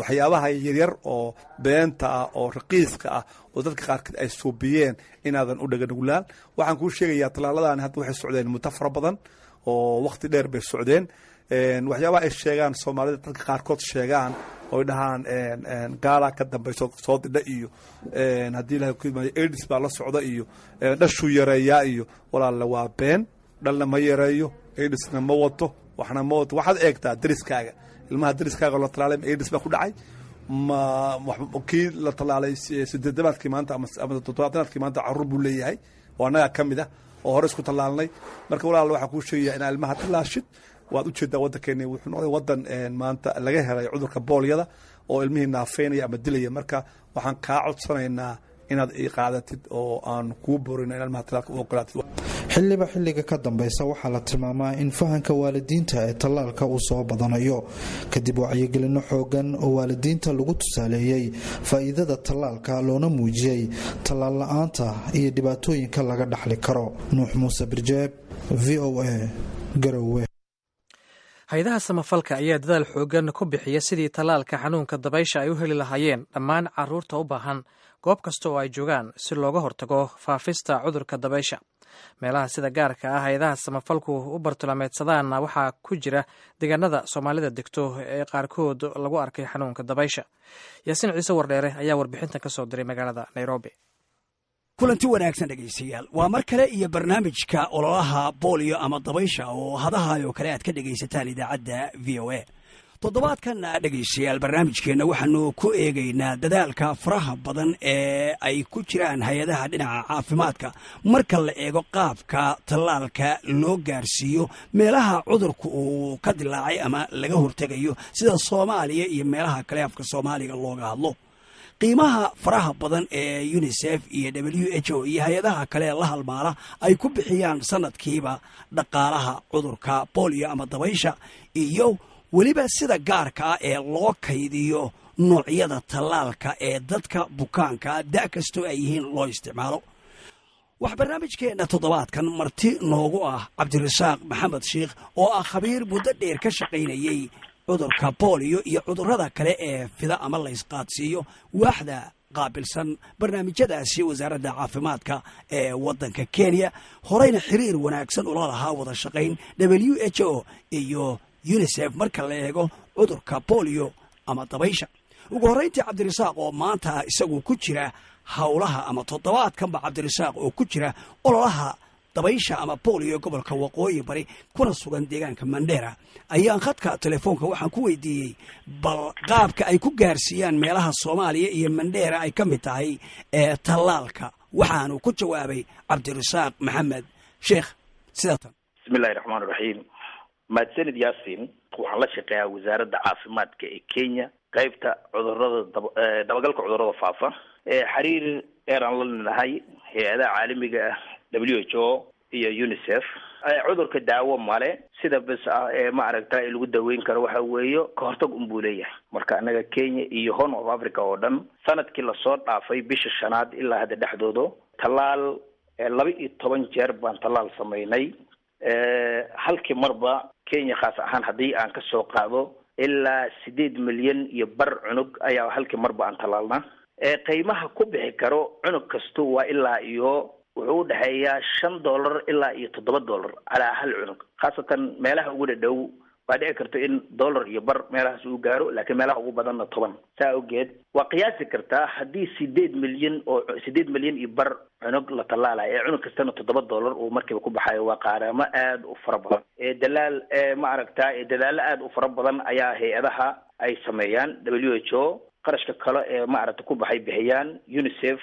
waxyaabaha yaryar oo beenta ah oo raqiiska ah oo dadka qaarkood ay suubiyeen inaadan u dhaganuglaan. Waxaan kuu sheegayaa tallaaladani hadda waxay socdeen muddo fara badan oo wakhti dheer bay socdeen. Waxyaabaha ay sheegaan Soomaalida, dadka qaarkood sheegaan oy dhahaan gaalaa ka dambayso soo didha iyo haddii Ilahay ku yimaado AIDS baa la socda iyo dhashuu yareeyaa iyo, walaalle, waa been. Dhalna ma yareeyo, AIDS-na ma wato, waxna ma wato. Waxaad eegtaa deriskaaga, ilmaha deriskaaga la talaalay ma AIDS baa ku dhacay? Ma kii la talaalay sideedamaadkii maanta ama toddobaatanaadkii maanta carruur buu leeyahay oo annagaa ka mid ah. Oo hore isku tallaalnay. Marka walaal, waxaan kuu sheegaya inaa ilmaha tallaashid. Waad ujeedaa, waddankeeni wuxuu noqday waddan maanta laga helay cudurka boolyada oo ilmihii naafeynaya ama dilaya. Marka waxaan kaa codsanaynaa inaad ii qaadatid oo aan kuu borino in ilmaha tallaalka u ogolaatid. Xilliba xilliga ka dambeysa waxaa la tilmaamaa in fahanka waalidiinta ee tallaalka uu soo badanayo, kadib wacyigelino xoogan oo waalidiinta lagu tusaaleeyey faa'iidada tallaalka, loona muujiyey tallaal la-aanta iyo dhibaatooyinka laga dhaxli karo. Nuux Muuse Birjeeb, VOA, Garowe. Hay-adaha samafalka ayaa dadaal xoogan ku bixiya sidii tallaalka xanuunka dabaysha ay u heli lahaayeen dhammaan carruurta u baahan, goob kasta oo ay joogaan, si looga hortago faafista cudurka dabaysha. Meelaha sida gaarka ah hay-adaha samafalku u bartilmaameedsadaanna waxaa ku jira deegaanada Soomaalida degto ee qaarkood lagu arkay xanuunka dabaysha. Yaasiin Ciise Wardheere ayaa warbixintan ka soo diray magaalada Nairobi. Kulanti wanaagsan dhegaystayaal, waa mar kale iyo barnaamijka ololaha booliyo ama dabaysha oo hadahaayoo kale aad ka dhegaysataan idaacadda VOA. Toddobaadkan dhegaystayaal, barnaamijkeenna waxaanu ku eegaynaa dadaalka faraha badan ee ay ku jiraan hay-adaha dhinaca caafimaadka marka la eego qaabka tallaalka loo gaarsiiyo meelaha cudurku uu ka dilaacay ama laga hortegayo, sida Soomaaliya iyo meelaha kale afka Soomaaliga looga hadlo, qiimaha faraha badan ee UNICEF iyo WHO iyo hay-adaha kale la halmaala ay ku bixiyaan sanadkiiba dhaqaalaha cudurka bolio ama dabaysha, iyo weliba sida gaarka ah ee loo kaydiyo noocyada tallaalka ee dadka bukaanka da' kastoo ay yihiin loo isticmaalo. Waxaa barnaamijkeenna toddobaadkan marti noogu ah Cabdirasaaq Maxamed Sheikh oo ah khabiir muddo dheer ka shaqaynayey cudurka booliyo iyo cudurrada kale ee fida ama laysqaadsiiyo, waaxda qaabilsan barnaamijyadaasi wasaaradda caafimaadka ee waddanka Kenya, horeyna xiriir wanaagsan ula lahaa wada shaqayn WHO iyo UNICEF marka la eego cudurka bolio ama dabaysha. Ugu horrayntii, Cabdirasaaq oo maanta isagu ku jira howlaha ama toddobaadkanba Cabdirasaaq oo ku jira ololaha dabaysha ama bolio gobolka Waqooyi Bari kuna sugan deegaanka Mandheera, ayaan khadka telefoonka waxaan ku weydiiyey bal qaabka ay ku gaarsiiyaan meelaha Soomaaliya iyo Mandheera ay ka mid tahay ee tallaalka. Waxaanu ku jawaabay Cabdirasaaq Maxamed Sheekh sidaatan. Bismillahi raxmaan raxiim. Mahadsanid Yaasin. Waxaan la shaqeeyaa Wasaaradda Caafimaadka ee Kenya, qeybta cudurada, dabagalka cudurada faafa. Xiriir dheeraan la lenahay hay-adaha caalamiga ah, WHO iyo UNICEF. Cudurka daawo male, sida bes ah ee maaragta lagu daweyn karo waxa weeyo kahortag unbuu leeyahay. Marka annaga Kenya iyo Horn of Africa oo dhan, sanadkii lasoo dhaafay bisha shanaad ilaa hadda dhexdooda, tallaal 12 jeer baan tallaal sameynay. Halkii marba Kenya khaas ahaan haddii aan kasoo qaado, ilaa 8.5 milyan cunug ayaa halkii marba aan tallaalnaa. Qiimaha ku bixi karo cunug kastu waa ilaa iyo wuxuu udhexeeyaa $5 ilaa iyo $7 calaa hal cunug. Khaasatan meelaha ugu dhadhow waa dhici karto in dollar iyo bar meelahaas uu gaaro, laakiin meelaha ugu badanna 10. Saa awgeed waa qiyaasi kartaa haddii 8 milyan oo 8.5 milyan cunug la tallaalayo ee cunug kastana $7 uu markiiba ku baxayo, waa qaaraamo aada u fara badan. Dalaal maaragta dadaallo aada u fara badan ayaa hay-adaha ay sameeyaan. WHO qarashka kale ee maaragta ku baxay bixiyaan. UNICEF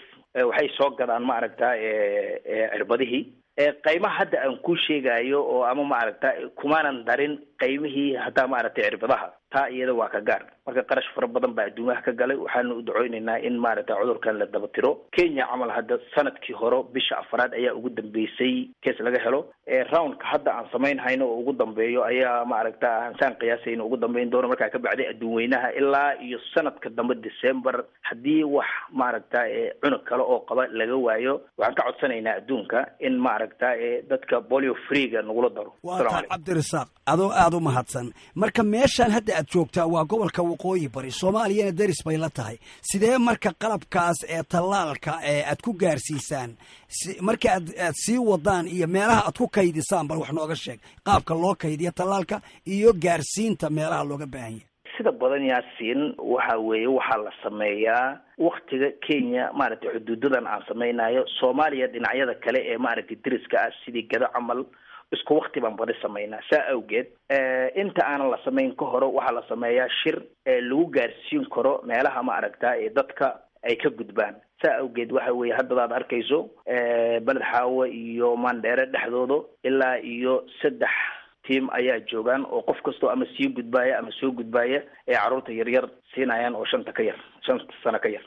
waxay soo gadaan maaragta cirbadihii. Qaymaha hadda aan kuu sheegayo oo ama maaragta kumaanan darin qaymihii haddaa maaragtay cirbadaha, taa iyada waa ka gaar. Marka qarash fara badan baa adduumaha ka galay. Waxaanu u duceyneynaa in maaragta cudurkan la daba tiro. Kenya camal hadda sanadkii hore bisha afraad ayaa ugu dambeysay case laga helo. Roundka hadda aan samayn hayno oo ugu dambeeyo ayaa maaragta aan saan qiyaasayno ugu dambeyn doono. Markaa ka bacday adduun weynaha ilaa iyo sanadka dambe December, haddii wax maaragta cunug kale oo qaba laga waayo, waxaan ka codsanaynaa adduunka in maaragta dadka polio freega nagula daro. Waa taa, Cabdirasaaq, adoo aada u mahadsan. Marka meeshaan hadda aad joogtaa waa gobolka Waqooyi Bari, Soomaaliyana deris bay la tahay. Sidee marka qalabkaas ee tallaalka ee aad ku gaarsiisaan marka aad sii wadaan iyo meelaha aad ku kaydisaan? Bal wax nooga sheeg qaabka loo kaydiyo tallaalka iyo gaarsiinta meelaha looga baahan yahay. Sida badan, Yaasiin, waxa weeye waxaa la sameeyaa waktiga Kenya maaragtay xuduudadan aan samaynayo Soomaaliya dhinacyada kale ee maaragtay deriska ah, sidii Gado camal, isku wakti baan badi samaynaa. Saa awgeed inta aanan la samayn ka hore waxaa la sameeyaa shir lagu gaarsiin karo meelaha maaragta ee dadka ay ka gudbaan. Saa awgeed waxa weeye haddadaad arkayso Beled Xaawo iyo Mandheere dhexdooda ilaa iyo 3 tiim ayaa joogaan, oo qof kastoo ama sii gudbaaya ama soo gudbaaya ee carruurta yaryar siinayaan oo 5 ka yar, 5 sano ka yar.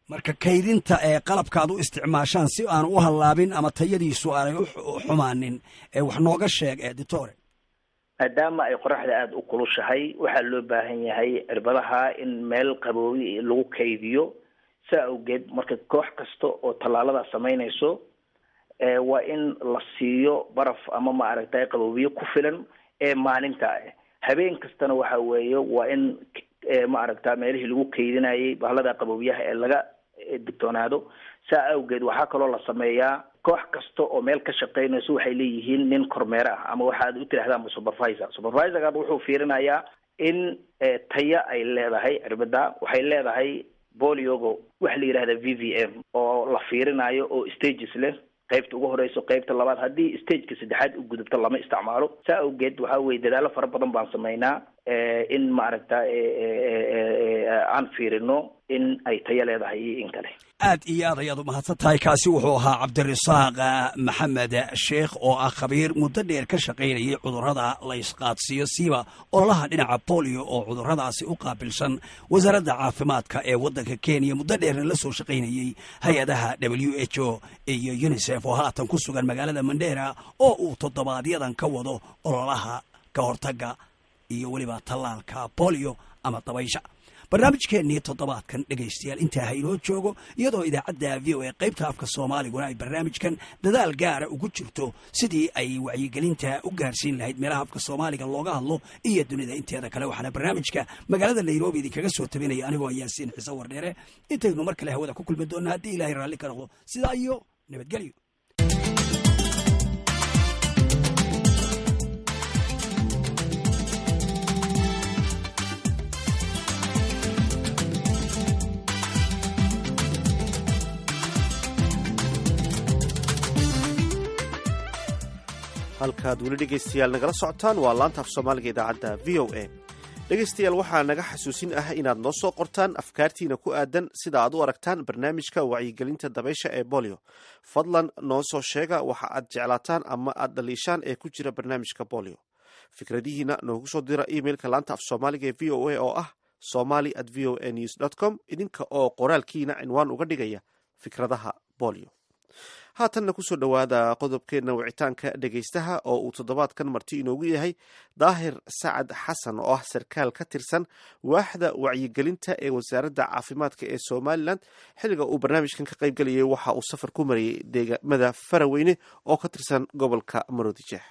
Marka kaydinta ee qalabka aad u isticmaashaan si aan u hallaabin ama tayadiisu aanay u xumaanin, wax nooga sheeg editore. Maadaama ay qoraxda aada u kulushahay, waxaa loo baahan yahay cirbadaha in meel qaboobi lagu kaydiyo. Saa awgeed marka koox kasta oo tallaalada samaynayso waa in la siiyo baraf ama maaragtay qaboobiye ku filan ee maalinta ah. Habeen kastana waxa weeye waa in maaragta meelihii lagu kaydinayay bahalada qaboobiyaha ee laga digtoonaado. Saa awgeed waxaa kaloo la sameeyaa koox kasta oo meel ka shaqaynayso waxay leeyihiin nin kormeere ah, ama waxaad u tidhahdaan supervisor. Supervisorkaad wuxuu fiirinayaa in taya ay leedahay cirbada. Waxay leedahay boliogo waxa la yidhahda VVM oo la fiirinayo oo stages leh, qaybta ugu horeyso, qaybta labaad, haddii stageka saddexaad u gudubto lama isticmaalo. Saa awgeed waxa weye dadaalo fara badan baan sameynaa in maaragta aan fiirino in ay tayo leedahay iyo in kale. Aad iyo aad ayaad u mahadsan tahay. Kaasi wuxuu ahaa Cabdirasaaq Maxamed Sheekh oo ah khabiir muddo dheer ka shaqaynayay cudurrada la isqaadsiiyo, siiba ololaha dhinaca bolio oo cudurradaasi u qaabilsan wasaaradda caafimaadka ee waddanka Kenya, muddo dheerna la soo shaqaynayey hay-adaha WHO iyo UNICEF, oo haatan ku sugan magaalada Mandheera oo uu toddobaadyadan ka wado ololaha ka hortagga iyo weliba tallaalka bolio ama dabaysha. Barnaamijkeennii toddobaadkan dhegaystayaal intaa ha inoo joogo, iyadoo idaacadda VOA qaybta afka Soomaaliguna ay barnaamijkan dadaal gaara ugu jirto sidii ay wacyigelinta u gaarsiin lahayd meelaha afka Soomaaliga looga hadlo iyo dunida inteeda kale. Waxaana barnaamijka magaalada Nairobi idinkaga soo tabinaya anigoo Yaasiin Xiise Wardheere. Intaynu mar kale hawada ku kulmi doonna haddii Ilaahay raalli ka noqdo, sidaa iyo nabadgelyo. Halkaad weli dhegaystayaal nagala socotaan waa laanta af Soomaaliga idaacadda VOA. Dhegaystayaal, waxaa naga xasuusin ah inaad noo soo qortaan afkaartiina ku aadan sida aad u aragtaan barnaamijka wacyigelinta dabaysha ee bolio. Fadlan noo soo sheega waxa aad jeclaataan ama aad dhaliishaan ee ku jira barnaamijka bolio. Fikradihiina noogu soo dira emailka laanta af Soomaaliga ee VOA oo ah somali@voanews.com, idinka oo qoraalkiina cinwaan uga dhigaya fikradaha bolio. Haatanna kusoo dhowaada qodobkeenna wicitaanka dhegaystaha oo uu toddobaadkan marti inoogu yahay Daahir Sacad Xasan oo ah sarkaal ka tirsan waaxda wacyigelinta ee wasaaradda caafimaadka ee Somalilan. Xilliga uu barnaamijkan ka qaybgelayay waxa uu safar ku marayay deegaamada Faraweyne oo ka tirsan gobolka Maroodijeex.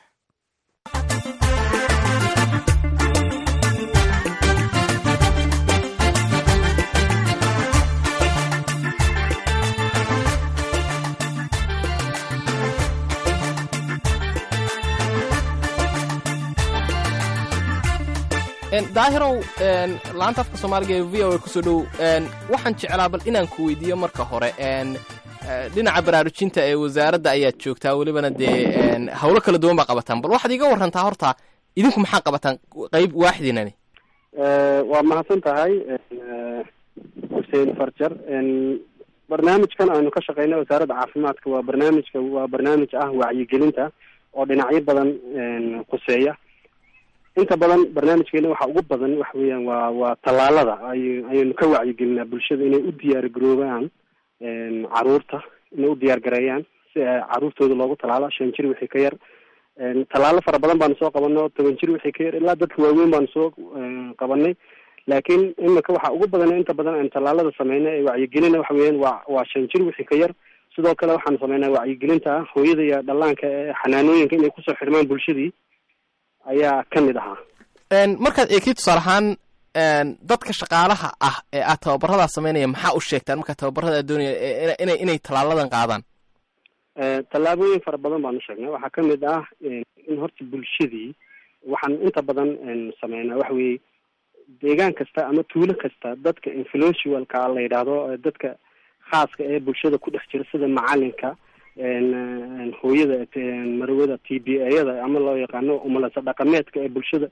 Daahirow, laanta afka Soomaaliga ee VOA kusoo dhow. Waxaan jeclaa bal inaan ku weydiiyo marka hore, dhinaca baraarujinta ee wasaaradda ayaad joogtaa, welibana dee howlo kala duwan baa qabataan. Bal waxaad iiga warrantaa horta idinku maxaa qabataan qayb waaxdiinani? Waa mahadsan tahay Xuseen Farjar. Barnaamijkan aanu ka shaqeyna wasaaradda caafimaadka waa barnaamijka waa barnaamij ah wacyigelinta oo dhinacyo badan khuseeya. Inta badan barnaamijkeena waxa ugu badan waxa weeyaan waa tallaalada ayaynu ka wacyigelinaa bulshada inay u diyaar garoobaan, caruurta inay u diyaar gareeyaan si caruurtooda loogu tallaalo 5 jir wixii ka yar. Tallaalo fara badan baanu soo qabano, 10 jir wixii ka yar ilaa dadka waaweyn baanu soo qabanay. Laakiin imika waxa ugu badan inta badan aynu tallaalada sameynay ee wacyigelina waxa weeyaan waa 5 jir wixii ka yar. Sidoo kale waxaanu sameynaa wacyigelinta ah hooyada iyo dhallaanka ee xanaanooyinka inay kusoo xirmaan bulshadii ayaa ka mid ahaa. Markaad eegtid tusaale ahaan dadka shaqaalaha ah ee aad tababaradaa sameynaya, maxaa u sheegtaan markaa tababarada aad doonaya inay tallaaladan qaadaan? Tallaabooyin fara badan baanu sheegnay. Waxaa ka mid ah in horta bulshadii waxaan inta badan sameynaa waxa weeye deegaan kasta ama tuulo kasta dadka influentialka la yidhaahdo, dadka khaaska ee bulshada ku dhex jira sida macalinka, hooyada marwada, TBA-yada ama loo yaqaano umalasa dhaqameedka ee bulshada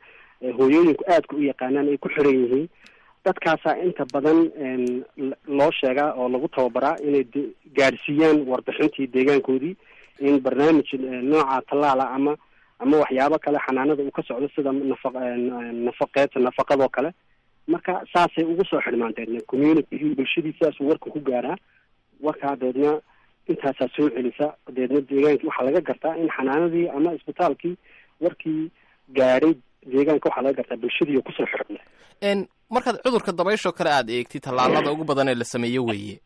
hooyooyinku aadka u yaqaanaan ay ku xiran yihiin, Dadkaasaa inta badan loo sheegaa oo lagu tababaraa inay gaadhsiiyaan warbixintii deegaankoodii, in barnaamij nooca tallaala ama waxyaabo kale xanaanada uu ka socdo, sida nafaqeed, nafaqadoo kale. Marka saasay ugu soo xidhmaan deedna community, bulshadii sidaasuu warka ku gaaraa. Warkaa deedna intaasaa soo celisa. Deedna deegaankii waxaa laga gartaa in xanaanadii ama isbitaalkii warkii gaadhay deegaanka, waxaa laga gartaa bulshadii oo kusoo xidhmay. Markaad cudurka dabayshoo kale aad eegtid, tallaalada ugu badan ee la sameeyo weeye.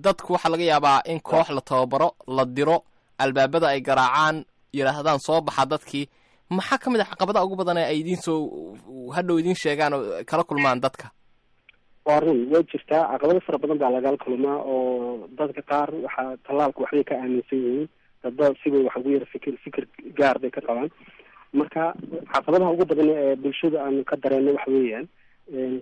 Dadku waxaa laga yaabaa in koox la tababaro, la diro, albaabada ay garaacaan, yidhaahdaan soo baxa dadkii. Maxaa ka mid ah caqabadaha ugu badan ee ay idiin soo hadhow idiin sheegaan oo kala kulmaan dadka? Waa run, way jirtaa. Caqabado fara badan baa lagala kulmaa, oo dadka qaar waxaa tallaalka waxbay ka aaminsan yihiin, dadba sibay wax ugu yara fikir gaar bay ka qabaan. Marka caqabadaha ugu badan ee bulshada aanu ka dareenno waxa weeyaan,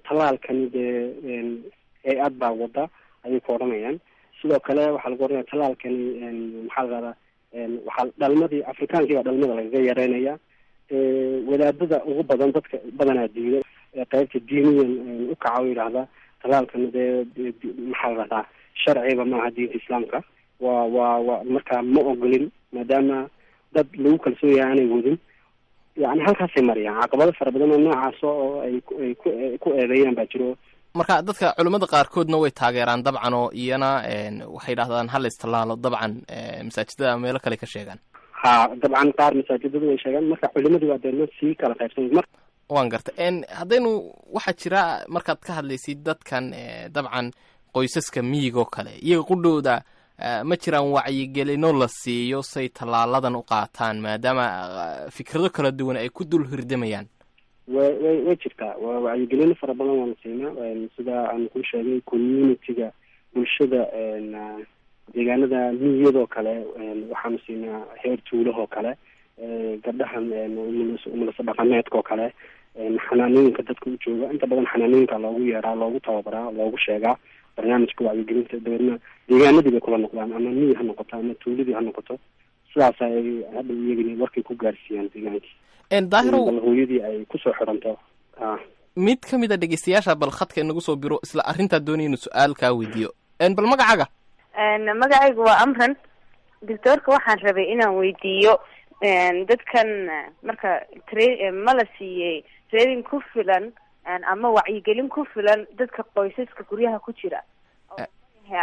tallaalkani dee hay-ad baa wada ayay ku odhanayaan. Sidoo kale waxaa lagu odhanaya tallaalkani, maxaa la rahdaa, waxaa dhalmadii Afrikaankii baa dhalmada lagaga yareynaya. Wadaadada ugu badan dadka badanaa diida, qaybta diiniyan u kaca oo yidhaahda tallaalkani dee, maxaa la rahdaa, sharciba maaha diinta Islaamka, waa marka ma ogolin, maadaama dad lagu kalsoon yahay aanay wadin. Yani halkaasay mariyaan caqabado fara badan oo noocaas oo ay ku eedeeyaan baa jiro. Marka dadka culimmada qaarkoodna way taageeraan dabcan, oo iyana waxay yidhahdaan hala istallaalo dabcan, masaajidada meelo kale ka sheegaan. Ha, dabcan qaar masaajidadu way sheegaan. Marka culimadu waa deedna sii kala qaybsan mar. Waan gartay. Haddaynu waxaa jira markaad ka hadlaysid dadkan, dabcan qoysaska miyigoo kale, iyaga qudhooda ma jiraan wacyigelino la siiyo say tallaaladan u qaataan, maadaama fikrado kala duwan ay ku dul hirdamayaan? Way jirtaa. Waa wacyigelino fara badan waanu siinaa. Sida aan kuu sheegay, community-ga, bulshada deegaanada miyadoo kale waxaanu siinaa, heer tuulahoo kale, gabdhahan umulasa dhaqameedka oo kale, xanaanooyinka dadka u jooga. Inta badan xanaanooyinka loogu yeeraa, loogu tababaraa, loogu sheegaa barnaamijka wacyigelinta. Dabeedna deegaanadii bay kula noqdaan, ama miyi ha noqoto ama tuuladii ha noqoto. Sidaas ay hadda iyagani warkay ku gaarsiiyaan deegaankii. Daahirow, bal hooyadii ay kusoo xiranto. Mid ka mid a dhegeystayaasha bal khadka inagu soo biro, isla arrintaa doonaya inuu su-aal kaa weydiiyo. Bal magacaaga? Magacaygu waa Amran. Doctoorka waxaan rabay inaan weydiiyo, dadkan marka ma la siiyey training ku filan ama wacyigelin ku filan dadka qoysaska guryaha ku jira?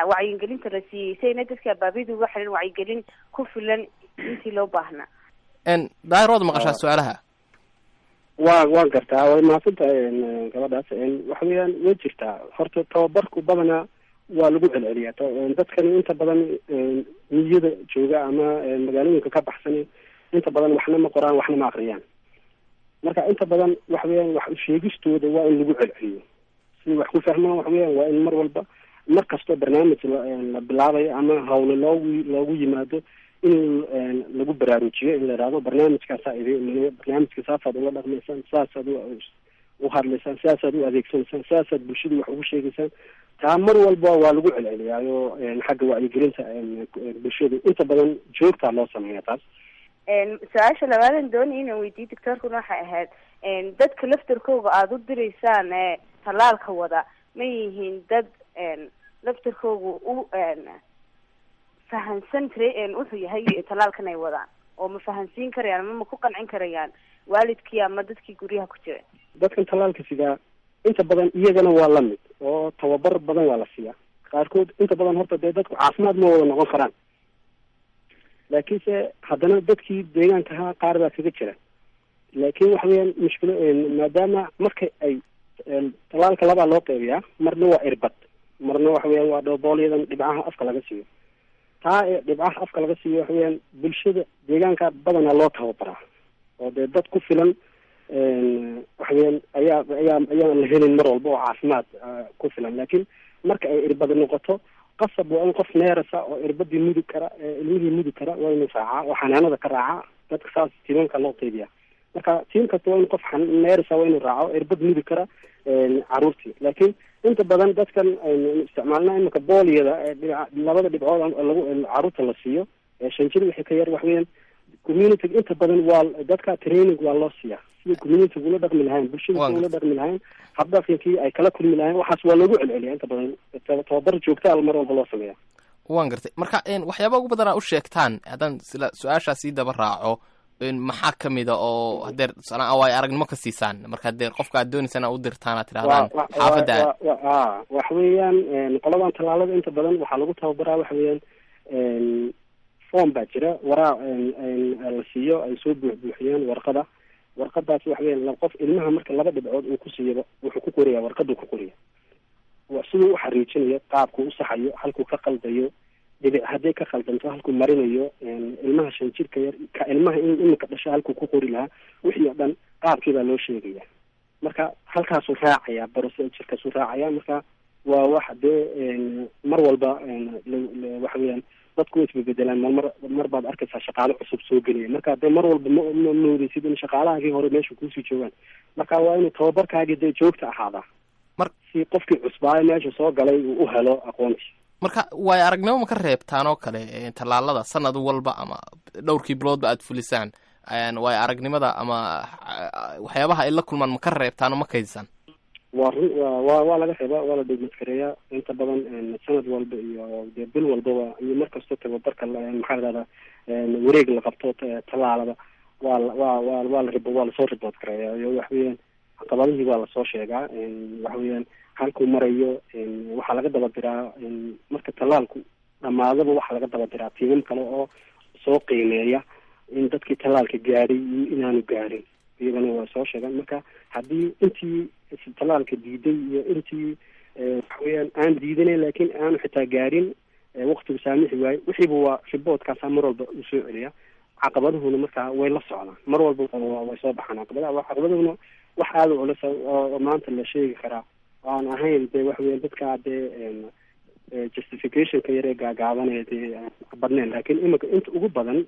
Wacyigelinta la siiyey sayna dadka abaabida uga xiran wacyigelin ku filan intii loo baahnaa. Daahir, waad maqashaa su-aalaha? Waan gartaa, way mahadsan tahay gabadhaas. Waxa weeyaan, way jirtaa. Horta tababarku badanaa waa lagu celceliyaa. Dadkani inta badan miyada jooga ama magaalooyinka ka baxsan inta badan waxna ma qoraan, waxna ma akriyaan. Marka inta badan waxa weeyaan, wax sheegistooda waa in lagu celceliyo si wax ku fahmaan. Waxa weeyaan, waa in mar walba, mar kastoo barnaamij la bilaabayo ama hawle loogu yimaado, in lagu baraarujiyo, in la ihahdo barnaamijkaasaa idin imanaya, barnaamijka saasaad ula dhaqmaysaan, saasaad u hadlaysaan, saasaad u adeegsanaysaan, saasaad bulshadu wax ugu sheegaysaan. Taa mar walba waa lagu celceliyaayo. Xagga wacyigelinta bulshadu inta badan joogtaa loo sameeya taas. Su-aasha labaadan doonaya inaan weydiiyo doctoorkuna waxay ahayd, dadka laftarkooga aada u diraysaan ee tallaalka wada ma yihiin dad laftarkooga u fahansan wuxuu yahay tallaalkan ay wadaan, oo ma fahansiin karayaan ama ma ku qancin karayaan waalidkii ama dadkii guryaha ku jira? Dadkan tallaalka sidaa inta badan iyagana waa la mid, oo tababar badan waa la siiyaa qaarkood. Inta badan horta dee dadku caafimaad ma wada noqon karaan, laakiinse haddana dadkii deegaanka ahaa qaar baa kaga jira. Laakiin waxa weeyaan mushkilo, maadaama marka ay tallaalka labaa loo qeybiyaa, marna waa irbad, marna waxa weeyaan waa dhooboolyadan dhibcaha afka laga siiyo. Taa ee dhibcaha afka laga siiyo waxa weeyaan bulshada deegaanka badanaa loo tababaraa, oo dee dad ku filan waxa weeyaan ayaa ayaa ayaan la helin mar walba oo caafimaad ku filan. Laakiin marka ay irbad noqoto, qasab waa in qof neerasa oo irbadii mudi kara, ilmihii mudi kara, waa inuu raacaa oo xanaanada ka raacaa. Dadka saas tiimanka loo qeybiya. Marka tiim kasta waa in qof neerasa waa inuu raaco, irbad mudi kara caruurtii. Laakiin inta badan dadkan isticmaalna iminka booliyada labada dhibcood lagu caruurta la siiyo 5 jir wixii ka yar, wax weeyaan community inta badan waa dadka training waa loo siiyaa. Sida community ula dhaqmi lahayn, bulshada sida ula dhaqmi lahayn, habdhaqankii ay kala kulmi lahayn, waxaas waa loogu celceliya inta badan. Tababar joogta al mar walba loo sameeya. Waan gartay. Marka waxyaaba ugu badan aa u sheegtaan, haddaan sila su-aashaa sii daba raaco, maxaa ka mida oo hadeer tusaale waayo aragnimo ka siisaan marka hadeer qofka aad doonaysaan aa u dirtaan aad tidhahdaan xaafadda? Waxa weeyaan, qoladan tallaalada inta badan waxaa lagu tababaraa, waxa weeyaan, form baa jira, waraa la siiyo, ay soo buuxbuuxiyaan warqada. Warqadaas waxa weeyaan, qof ilmaha marka laba dhibcood uu ku siiyaba, wuxuu ku qoraya, warqaduu ku qoraya siduu u xariijinayo, qaabkuu u saxayo, halkuu ka qaldayo dhibic, hadday ka khaldanto halkuu marinayo, ilmaha 5 jirka yar ka ilmaha in iminka dhasho halkuu ku qori lahaa, wixii oo dhan qaabkii baa loo sheegaya. Marka halkaasuu raacaya, procedurekaasuu raacaya. Marka waa wax dee mar walba waxa weeyaan dadku way isbebedelaan. Marmar mar baad arkaysaa shaqaale cusub soo gelaya. Marka dee mar walba ma moodeysid in shaqaalahaagii hore meesha kuusii joogaan. Marka waa inuu tababarkaagii dee joogta ahaadaa si qofkii cusbaayo meesha soo galay uu u helo aqoontii. Marka waayo aragnimo ma ka reebtaan oo kale tallaalada sanad walba ama dhowrkii biloodba aad fulisaan? Waayo aragnimada ama waxyaabaha ay la kulmaan ma ka reebtaan oo ma kaydisaan? Waa run, wa waa laga reebaa, waa la dhegmaskareeyaa inta badan sanad walba iyo dee bil walbaba iyo mar kastoo tababarka, maxaa la dhahdaa, wareeg la qabto tallaalada, waa waa waa waa la waa lasoo report gareeyaa. Iyo wax weeyaan caqabadihii waa lasoo sheegaa. Waxa weeyaan halkuu marayo waxaa laga daba diraa, marka tallaalku dhamaadaba waxaa laga daba diraa tiimam kale oo soo qiimeeya in dadkii tallaalka gaadhay iyo inaanu gaadhin, iyagana waa soo sheegaan. Marka haddii intii tallaalka diiday iyo intii waxa weeyaan aan diidanayn laakiin aanu xitaa gaadhin, waqtigu saamixi waayo, wixiiba waa reportkaasaa mar walba uu soo celiya. Caqabaduhuna markaa way la socdaan, mar walba way soo baxaan caqabadaha. Caqabaduhuna wax aada u culus oo maanta la sheegi karaa aan ahayn dee waxa weya dadka dee justificationka yar ee gaagaabanaya dee badneen, laakiin iminka inta ugu badan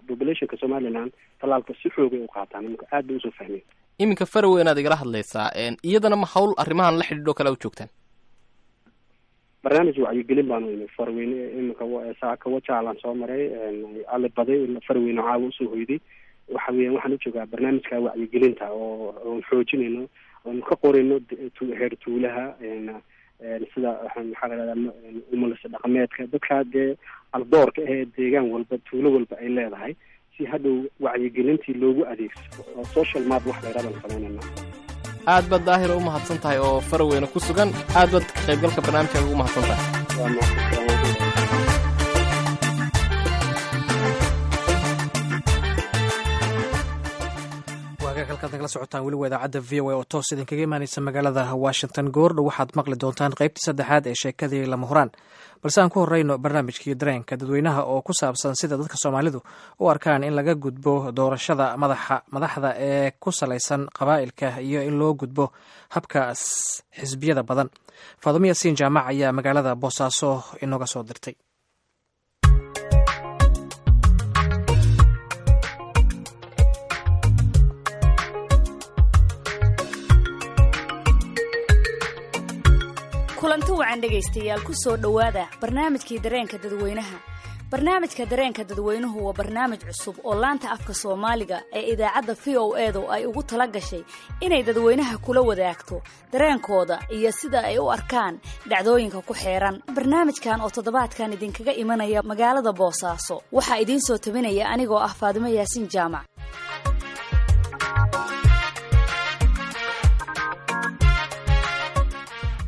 populationka Somaliland tallaalka si xoogay u qaataan, iminka aad bay usoo fahmeen. Iminka Farowe inaad igala hadlaysaa, iyadana ma hawl arrimahan la xidhiidho kale u joogtaan? Barnaamij wacyigelin baanu imi Farweyne iminka, saaka wajaalaan soo maray, ali baday Farweyne caawa usoo hoyday. Waxa weeyaan waxaan u joogaa barnaamijka wacyigelinta oo oon xoojinayno, oon ka qorayno heer tuulaha, sida maxaa la dhahdaa, umulisa dhaqameedka, dadkaa dee aldoorka ahee deegaan walba tuulo walba ay leedahay, si hadhow wacyigelintii loogu adeegsado oo social map wax la yidhahdan samaynayna. Aad baad Daahir u mahadsan tahay oo Faraweyne ku sugan. Aad baad ka qaybgalka barnaamijka ugu mahadsan tahay. Waagaag, halkaad nagala socotaan weli waa idaacadda VOA oo toos idinkaga imaaneysa magaalada Washington. Goordhow waxaad maqli doontaan qaybtii saddexaad ee sheekadii Lama Huraan, balse aan ku horeyno barnaamijkii dareenka dadweynaha oo ku saabsan sida dadka Soomaalidu u arkaan in laga gudbo doorashada madaxa madaxda ee ku salaysan qabaa'ilka iyo in loo gudbo habka xisbiyada badan. Faadumo Yaasiin Jaamac ayaa magaalada Boosaaso inooga soo dirtay. Kulanti wacan dhegaystayaal, ku soo dhowaada barnaamijkii dareenka dadweynaha. Barnaamijka dareenka dadweynuhu waa barnaamij cusub oo laanta afka Soomaaliga ee idaacadda VOA-du ay ugu tala gashay inay dadweynaha kula wadaagto dareenkooda iyo sida ay u arkaan dhacdooyinka ku xeeran. Barnaamijkan oo toddobaadkan idinkaga imanaya magaalada Boosaaso waxaa idiin soo tabinaya anigoo ah Faadimo Yaasiin Jaamac.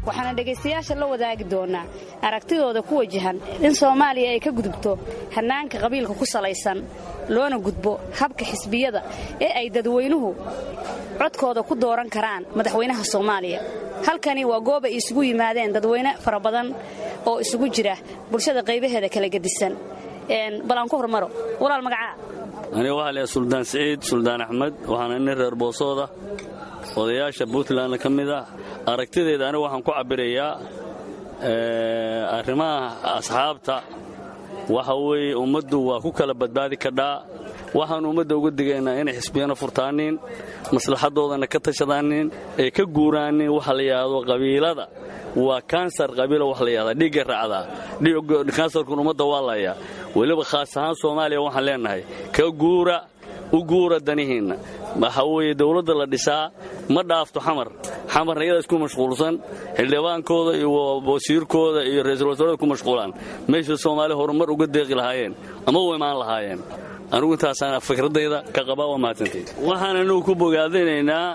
Waxaana dhegaystayaasha la wadaagi doonaa aragtidooda ku wajahan in Soomaaliya ay ka gudubto hannaanka qabiilka ku salaysan, loona gudbo habka xisbiyada ee ay dadweynuhu codkooda ku dooran karaan madaxweynaha Soomaaliya. Halkani waa goob ay isugu yimaadeen dadweyne fara badan oo isugu jira bulshada qaybaheeda kala gedisan. Bal aan ku hormaro walaal, magacaa? Aniga waxaa leeyahay Suldaan Siciid Suldaan Axmed, waxaana nin reer Boosooda, odayaasha Puntlandna ka mid ah. Aragtideeda anigu waxaan ku cabbirayaa arrimaha asxaabta. Waxa weeye ummaddu waa ku kala badbaadi kadhaa. Waxaan ummadda uga digaynaa inay xisbiyana furtaaniin, maslaxadoodana ka tashadaaniin, ay ka guuraaniin waxa la yidhaahdo qabiilada. Waa kansar qabiila wax la yidhahdaa, dhiigga raacdaa, kansarkun ummadda waa layaa, weliba khaas ahaan Soomaaliya. Waxaan leenahay ka guura U guura danihiinna. Waxa weeye dowladda la dhisaa ma dhaafto Xamar. Xamarna iyada isku mashquulsan, xildhibaankooda iyo wasiirkooda iyo ra'iisul wasaarada ku mashquulaan meesha Soomaali horumar uga deeqi lahaayeen ama u imaan lahaayeen. Anugu intaasaan fikradayda ka qabaa. Waa mahadsantayd. Waxaan anugu ku bogaadinaynaa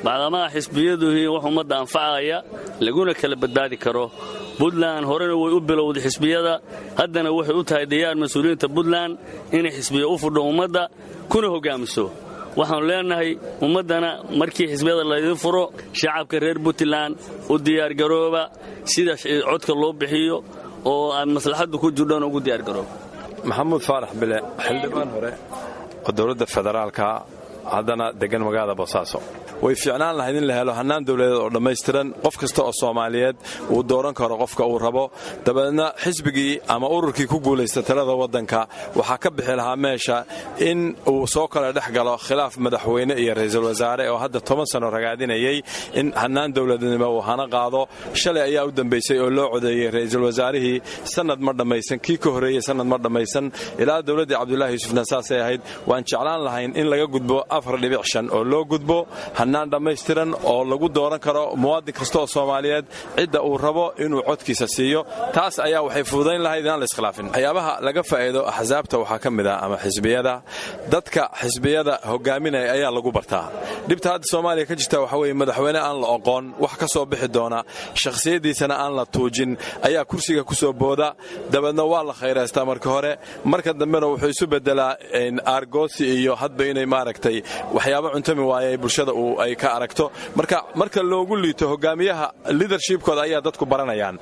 bacdamaha xisbiyaduhii wax ummadda anfacaya laguna kala badbaadi karo. Puntland horena way u bilowday xisbiyada, haddana waxay u tahay diyaar mas-uuliyiinta Puntland inay xisbiya u fudho ummadda kuna hoggaamiso. Waxaanu leenahay ummaddana markii xisbiyada laydin furo, shacabka reer Puntland u diyaargarooba sida codka loo bixiyo oo aad maslaxaddu ku jirdhona ugu diyaargarooba. Maxamuud Faarax Bile, xildhibaan hore oo dowladda federaalka, haddana degan magaalada Boosaaso. Way fiicnaan lahayd in la helo hannaan dowladeed oo dhammaystiran, qof kasta oo Soomaaliyeed uu dooran karo qofka uu rabo, dabeedna xisbigii ama ururkii ku guulaysta talada waddanka waxaa ka bixi lahaa meesha in uu soo kala dhex galo khilaaf madaxweyne iyo ra'iisul wasaare oo hadda 10 sano ragaadinayay in hannaan dowladnimo uu hana qaado. Shalay ayaa u dambaysay oo loo codeeyey ra'iisul wasaarihii. Sanad ma dhammaysan, kii ka horreeyey sanad ma dhammaysan, ilaa dowladdii Cabdulaahi Yuusufna saasay ahayd. Waan jeclaan lahayn in laga gudbo 4.5 oo loo gudbo hannaan dhammaystiran oo lagu dooran karo muwaadin kasta oo Soomaaliyeed cidda uu rabo inuu codkiisa siiyo. Taas ayaa waxay fududayn lahayd inaan la iskhilaafin. Waxyaabaha laga faa'iido axsaabta waxaa ka mid ah ama xisbiyada, dadka xisbiyada hogaaminaya ayaa lagu bartaa. Dhibta hadda Soomaaliya ka jirta waxaa weeye madaxweyne aan la oqoon wax ka soo bixi doona, shakhsiyaddiisana aan la tuujin ayaa kursiga ku soo booda, dabeedna waa la khayraystaa marka hore, marka dambena wuxuu isu bedelaa aargoosi iyo hadba inay maaragtay waxyaabo cuntami waaya ay bulshada uu ay ka aragto. Marka marka loogu liito hogaamiyaha, leadershipkooda ayaa dadku baranayaan.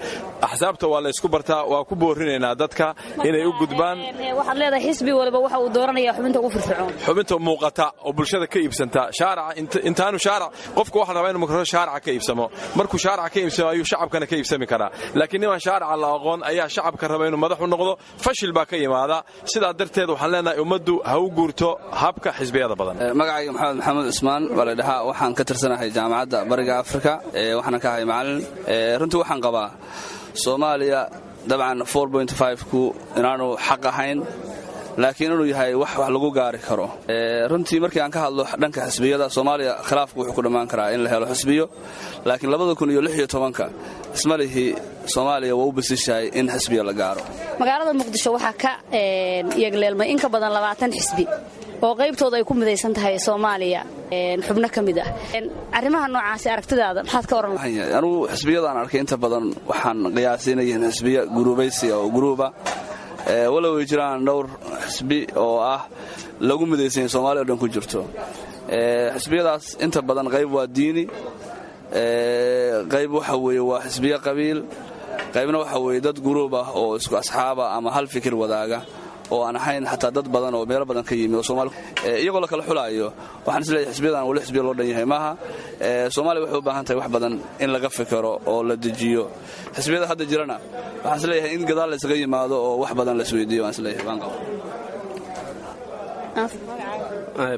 Axsaabta waa la isku bartaa. Waa ku boorinaynaa dadka inay u gudbaan. Waxaad leedahay xisbi waliba waxa uu dooranaya xubinta ugu firfircoon. Xubinta muuqata oo bulshada ka iibsanta shaaraca. Intaanu shaarac qofku waxa la rabaa inuu marka shaaraca ka iibsamo. Markuu shaaraca ka iibsamo ayuu shacabkana ka iibsami karaa, laakiin niman shaaraca la aqoon ayaa shacabka raba inuu madax u noqdo, fashil baa ka yimaada. Sidaa darteed waxaan leenahay ummaddu ha u guurto habka xisbiyada badan. Magacayga Maxamed Maxamuud Cusmaan baa la dhahaa. Waxaan ka tirsanahay Jaamacadda Bariga Afrika, waxaana ka ahay macalin. Runtii waxaan qabaa Soomaaliya dabcan ku inaanu xaq ahayn, laakiin inuu yahay wax wax lagu gaari karo. Runtii markii aan ka hadlo dhanka xisbiyada Soomaaliya, khilaafku wuxuu ku dhammaan karaa in la helo xisbiyo, laakiin 2016-ka isma lihi Soomaaliya waa u basishahay in xisbiya la gaaro. Magaalada Muqdisho waxaa ka yegleelmay in ka badan 20 xisbi oo qaybtooda ay ku midaysan tahay Soomaaliya xubno ka mid ah. Arrimaha noocaasi aragtidaada maxaad ka oran? Anugu xisbiyadaan arkay inta badan waxaan qiyaasinayihiin xisbiya guruubaysiga oo guruuba, walow ay jiraan dhowr xisbi oo ah lagu midaysanya Soomaliya o dhan ku jirto. Xisbiyadaas inta badan qayb waa diini, qayb waxa weeye waa xisbiyo qabiil, qaybna waxa weeye dad guruub ah oo isku asxaaba ama hal fikir wadaaga oo aan ahayn xataa dad badan oo meelo badan ka yimi oo Soomaali iyagoo la kala xulaayo. Waxaan isleeyahay xisbiyadan wali xisbiya loo dhan yahay maaha. Soomaaliya waxay u baahan tahay wax badan in laga fikiro oo la dejiyo. Xisbiyada hadda jirana waxaan isleeyahay in gadaal la isaga yimaado oo wax badan la isweydiiyo waan isleeyahay waan qaba.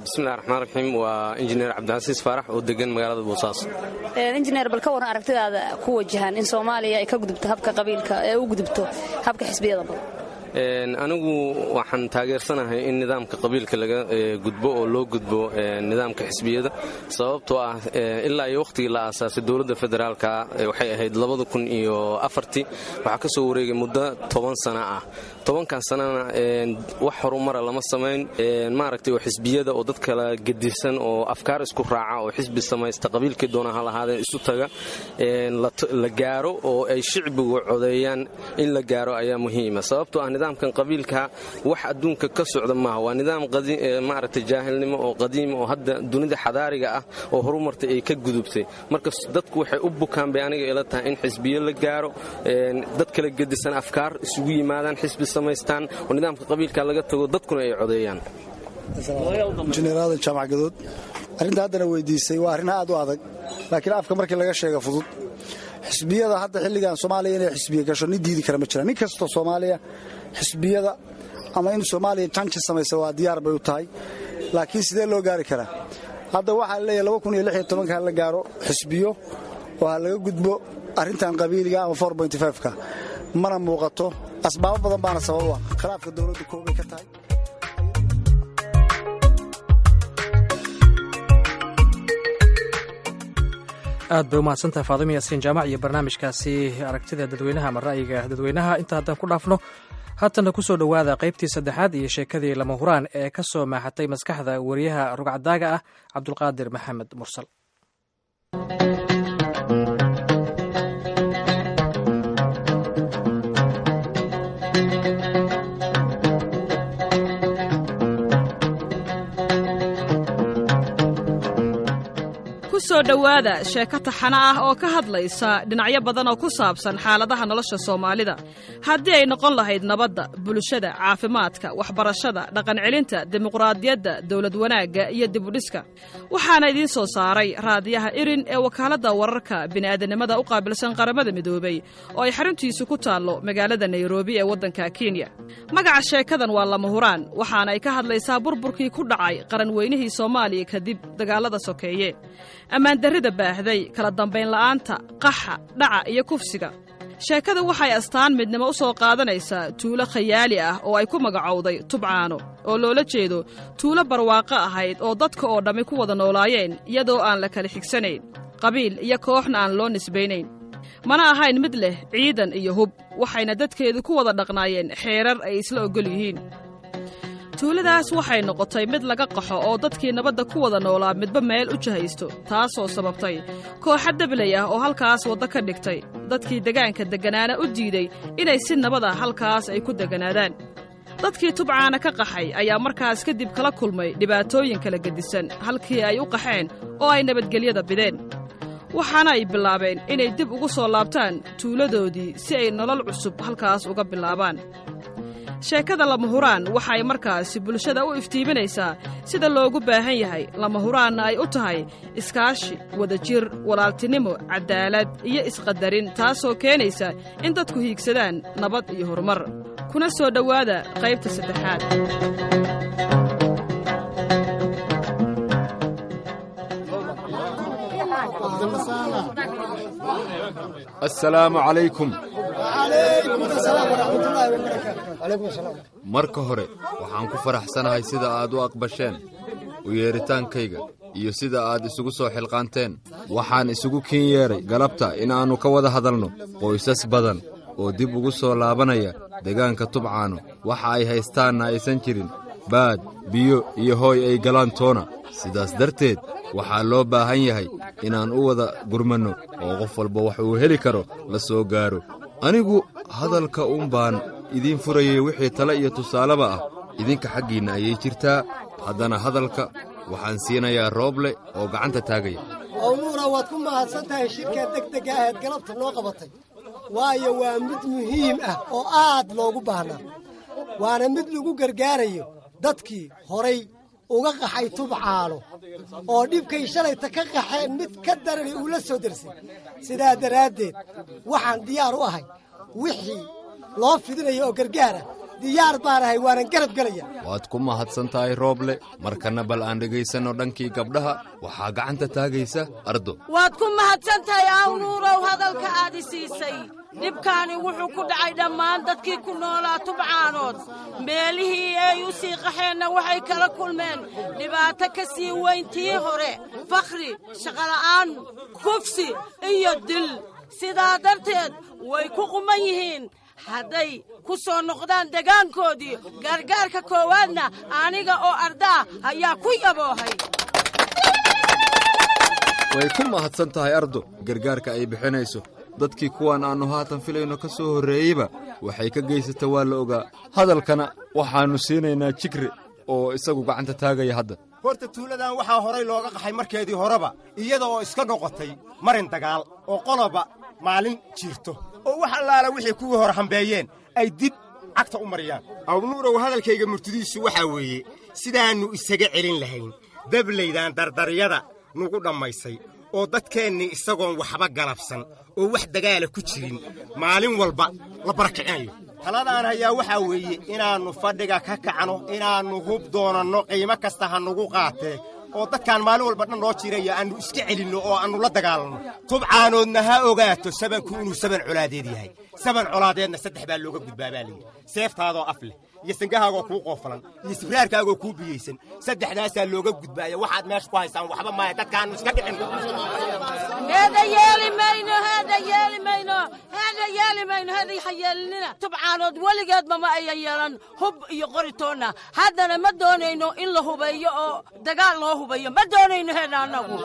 Bismillahi raxmaan raxiim. Waa injineer Cabdicasiis Faarax oo degan magaalada Boosaaso. Injineer, bal ka waran aragtidaada ku wajahan in Soomaaliya ay ka gudubto habka qabiilka ee u gudubto habka xisbiyada badan? Anigu waxaan taageersanahay in nidaamka qabiilka laga gudbo oo loo gudbo nidaamka xisbiyada, sababtoo ah ilaa iyo wakhtigii la aasaasay dowladda federaalka, waxay ahayd 2004-tii, waxaa ka soo wareegay muddo 10 sano ah. 10-kan sanana wax horumara lama samayn, maaragtay, oo xisbiyada oo dad kala gedisan oo afkaar isku raaca oo xisbi samaysta, qabiilkii doona ha lahaadeen, isu taga la gaaro oo ay shicbigu codeeyaan in la gaaro ayaa muhiima, sababtoo ah nidaamkan qabiilka wax adduunka ka socda maaha. Waa nidaam maaragtay jaahilnimo oo qadiima oo hadda dunida xadaariga ah oo horumartay ay ka gudubtay. Marka dadku waxay u bukaan bay aniga ila tahay in xisbiyo la gaaro, dad kala gedisan afkaar isugu yimaadaan, xisbi samaystaan oo nidaamka qabiilka laga tago, dadkuna ay codeeyaan. Injineer Aadan Jaamac Gadood. Arrinta haddana weydiisay waa arrin aad u adag, laakiin afka markii laga sheega fudud. Xisbiyada hadda xilligan Soomaaliya inay xisbiya gasho nin diidi kara ma jira. Nin kastoo Soomaaliya xisbiyada ama in Soomaaliya janji samaysa waa diyaar bay u tahay, laakiin sidee loo gaari karaa? Hadda waxaa leeyahay 2016-ka ha la gaaro xisbiyo oo ha laga gudbo arrintan qabiiliga ama 4.5-ka. Mana muuqato, asbaabo badan baana sabab u ah. Khilaafka dowladda koobay ka tahay. Aad bay umahadsantahay Faadimo Yaasiin Jaamac iyo barnaamijkaasi aragtida dadweynaha ama ra'yiga dadweynaha. Inta haddaan ku dhaafno, haatana ku soo dhowaada qaybtii saddexaad iyo sheekadii Lama Huraan ee ka soo maaxatay maskaxda wariyaha rugcadaaga ah Cabdulqaadir Maxamed Mursal. Ku soo dhowaada sheeko taxano ah oo ka hadlaysa dhinacyo badan oo ku saabsan xaaladaha nolosha Soomaalida, haddii ay noqon lahayd nabadda, bulshada, caafimaadka, waxbarashada, dhaqancelinta, dimuqraadiyadda, dowlad wanaagga iyo dibudhiska. Waxaana idiin soo saaray Raadiyaha Irin ee wakaaladda wararka bini'aadanimada u qaabilsan Qaramada Midoobay oo ay xaruntiisu ku taallo magaalada Nairobi ee waddanka Kenya. Magaca sheekadan waa Lama Huraan, waxaana ay ka hadlaysaa burburkii ku dhacay qaranweynihii Soomaaliya kadib dagaalada sokeeye, ammaandarrida baahday, kala dambayn la'aanta, qaxa, dhaca iyo kufsiga. Sheekada waxay astaan midnimo u soo qaadanaysaa tuulo khayaali ah oo ay ku magacowday Tubcaano, oo loola jeedo tuulo barwaaqo ahayd oo dadka oo dhammi ku wada noolaayeen iyadoo aan la kala xigsanayn, qabiil iyo kooxna aan loo nisbaynayn, mana ahayn mid leh ciidan iyo hub, waxayna dadkeedu ku wada dhaqnaayeen xeerar ay isla oggol yihiin. Tuuladaas waxay noqotay mid laga qaxo oo dadkii nabadda ku wada noolaa midba meel u jahaysto, taasoo sababtay kooxa dablay ah oo halkaas waddo ka dhigtay, dadkii degaanka degganaana u diiday inay si nabada halkaas ay ku degganaadaan. Dadkii Tubcaana ka qaxay ayaa markaas kadib kala kulmay dhibaatooyin kala gedisan halkii ay u qaxeen oo ay nabadgelyada bideen, waxaana ay bilaabeen inay dib ugu soo laabtaan tuuladoodii si ay nolol cusub halkaas uga bilaabaan. Sheekada Lama Huraan waxa ay markaasi bulshada u iftiiminaysaa sida loogu baahan yahay, lama huraanna ay u tahay iskaashi, wadajir, walaaltinimo, caddaalad iyo isqadarin, taasoo keenaysa in dadku hiigsadaan nabad iyo horumar. Kuna soo dhowaada qaybta saddexaad. Assalaamu calaykum. Marka hore waxaan ku faraxsanahay sida aad u aqbasheen u yeedhitaankayga iyo sida aad isugu soo xilqaanteen. Waxaan isugu kiin yeedhay galabta in aannu ka wada hadalno qoysas badan oo dib ugu soo laabanaya degaanka Tubcaano, waxa ay haystaanna aysan jirin baad, biyo iyo hooy ay galaan toona. Sidaas darteed waxaa loo baahan yahay inaan u wada gurmanno oo qof walba wax uu heli karo la soo gaaro. Anigu hadalka uun baan idiin furayay, wixii tale iyo tusaaleba ah idinka xaggiinna ayay jirtaa. Haddana hadalka waxaan siinayaa Rooble oo gacanta taagaya. Ownuura, waad ku mahadsan tahay shirkaa degdega aheed galabta noo qabatay, waayo waa mid muhiim ah oo aad loogu baahnaa, waana mid lagu gargaarayo dadkii horay uga qaxay Tubcaano oo dhibkay shalayta ka qaxeen mid ka darani uu la soo dersay. Sidaa daraaddeed waxaan diyaar u ahay wixii loo fidinayo oo gargaara. Diyaar baan ahay, waanan garab gelaya. Waad ku mahadsan tahay, Rooble. Markanna bal aan dhegaysanno dhankii gabdhaha. Waxaa gacanta taagaysa Ardo. Waad ku mahadsan tahay, Awnuurow, hadalka aad i siisay. Dhibkaani wuxuu ku dhacay dhammaan dadkii ku noolaa Tubcaanood. Meelihii ay u sii qaxeenna waxay kala kulmeen dhibaato ka sii weyn tii hore: fakhri, shaqola'aan, kufsi iyo dil. Sidaa darteed way ku quman yihiin hadday ku soo noqdaan degaankoodii. Gargaarka koowaadna aniga oo ardaa ayaa ku yaboohay. Way ku mahadsan tahay Ardo gargaarka ay bixinayso. Dadkii kuwan aannu haatan filayno ka soo horreeyeyba waxay ka geysata waa la ogaa. Hadalkana waxaannu siinaynaa Jigre oo isagu gacanta taagaya hadda. Horta tuuladan waxaa horay looga qaxay markeedii horeba iyada oo iska noqotay marin dagaal oo qoloba maalin jiirto oo wax allaala wixii kuwii hore hambeeyeen ay dib cagta u mariyaan. Awnuurow, hadalkayga murtidiisu waxaa weeye sidaannu isaga celin lahayn dablaydaan dardaryada nugu dhammaysay oo dadkeennii isagoon waxba galabsan oo wax dagaala ku jirin maalin walba la barakicinayo. Taladaan hayaa waxaa weeye inaannu fadhiga ka kacno, inaannu hub doonanno, qiimo kasta ha nugu qaatee, oo dadkaan maalin walba dhan noo jiraya aannu iska celinno oo aannu la dagaalanno. Tubcaanoodna ha ogaato sabanku inuu saban colaadeed yahay. Saban colaadeedna saddex baa looga gudbaa baa layidhi: seeftaadoo af leh, Iyo sangahaagoo kuu qoofalan iyo sibraarkaagoo kuu biyeysan, saddexdaasaa looga gudbaaya. Waxaad meesha ku haysaan waxba maaya, dadkaannu iska dhicin. Heeda yeeli mayno, heeda yeeli mayno, heeda yeeli mayno, heeda ha yeelinina. Tubcaanood weligeedba ma ayan yeelan hub iyo qoritoonna, haddana ma doonayno in la hubeeyo oo dagaal loo hubeeyo, ma doonayno heeda annagu.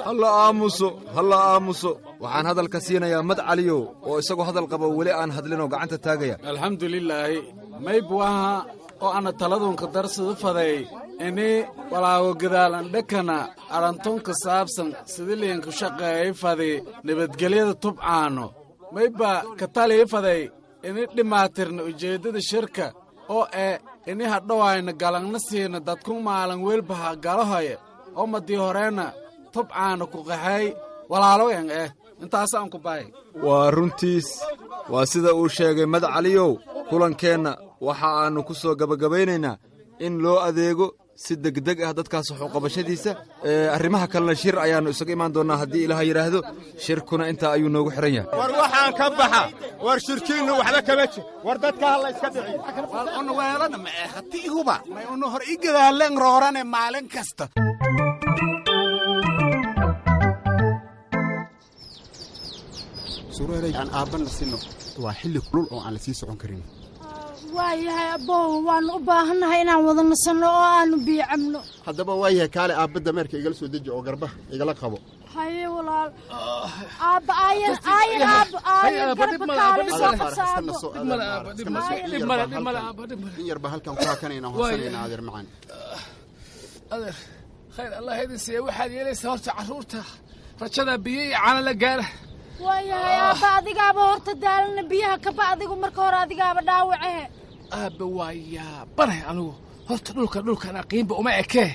Halla aamuso, halla aamuso. Waxaan hadalka siinayaa Mad Caliyow oo isagoo hadal qaba weli aan hadlinoo gacanta taagaya. Alxamdulilaahi, maybuaha oo ana taladunka darsadu faday ini walaago gadaalandhakana arrantunka saabsan sidiliinku shaqeeyay fadi nabadgelyada Tubcaano. Mayba katalii faday ini dhimaatirna ujeeddada shirka oo eh ini hadhowayna galangna siina dadku maalan welbaha galahoye oo madii horeenna Tubcaano ku qaxay walaaloyan eh intaasaan ku bahay. Waa runtiis, waa sida uu sheegay Mad Caliyow. Kulankeenna waxa aannu ku soo gebagabaynaynaa in loo adeego si degdeg ah dadkaas waxuqabashadiisa. Arrimaha kalena shir ayaannu isaga imaan doonnaa haddii Ilaah yidhaahdo. Shirkuna intaa ayuu noogu xidhan yahay. War waxaan ka baxa, war shirkiinnu waxba kama jir, war dadka ha la iska dhiciyo. Una weelana ma eh hati ihuba may una hor i gadaaleen roorane maalin kasta. Sureeray, aan aabbanna sinno, waa xilli kulul oo aan la sii socon karin. Waayahay abbow, waannu u baahannahay inaan wada nasanno oo aannu biyo cabno. Haddaba waayahay, kaale aabba, dameerka igala soo deji oo garbaha igala qabo. Haye walaal, aabba, aayan aayan, aabba aayan, garba kaale soo qabsa aabbo. In yarba halkan ku hakanayna, horsanayna, adeer macaan. Adeer, khayr Allah idin siiya. Waxaad yeelaysaa horta carruurta rajada biyo iyo caano la gaara. Waayahay aabba, adigaaba horta daalana, biyaha kaba adigu marka hore, adigaaba dhaawacehe. Aabba, waa yaabanay anigu horta dhulka dhulkan aqiinba uma ekee,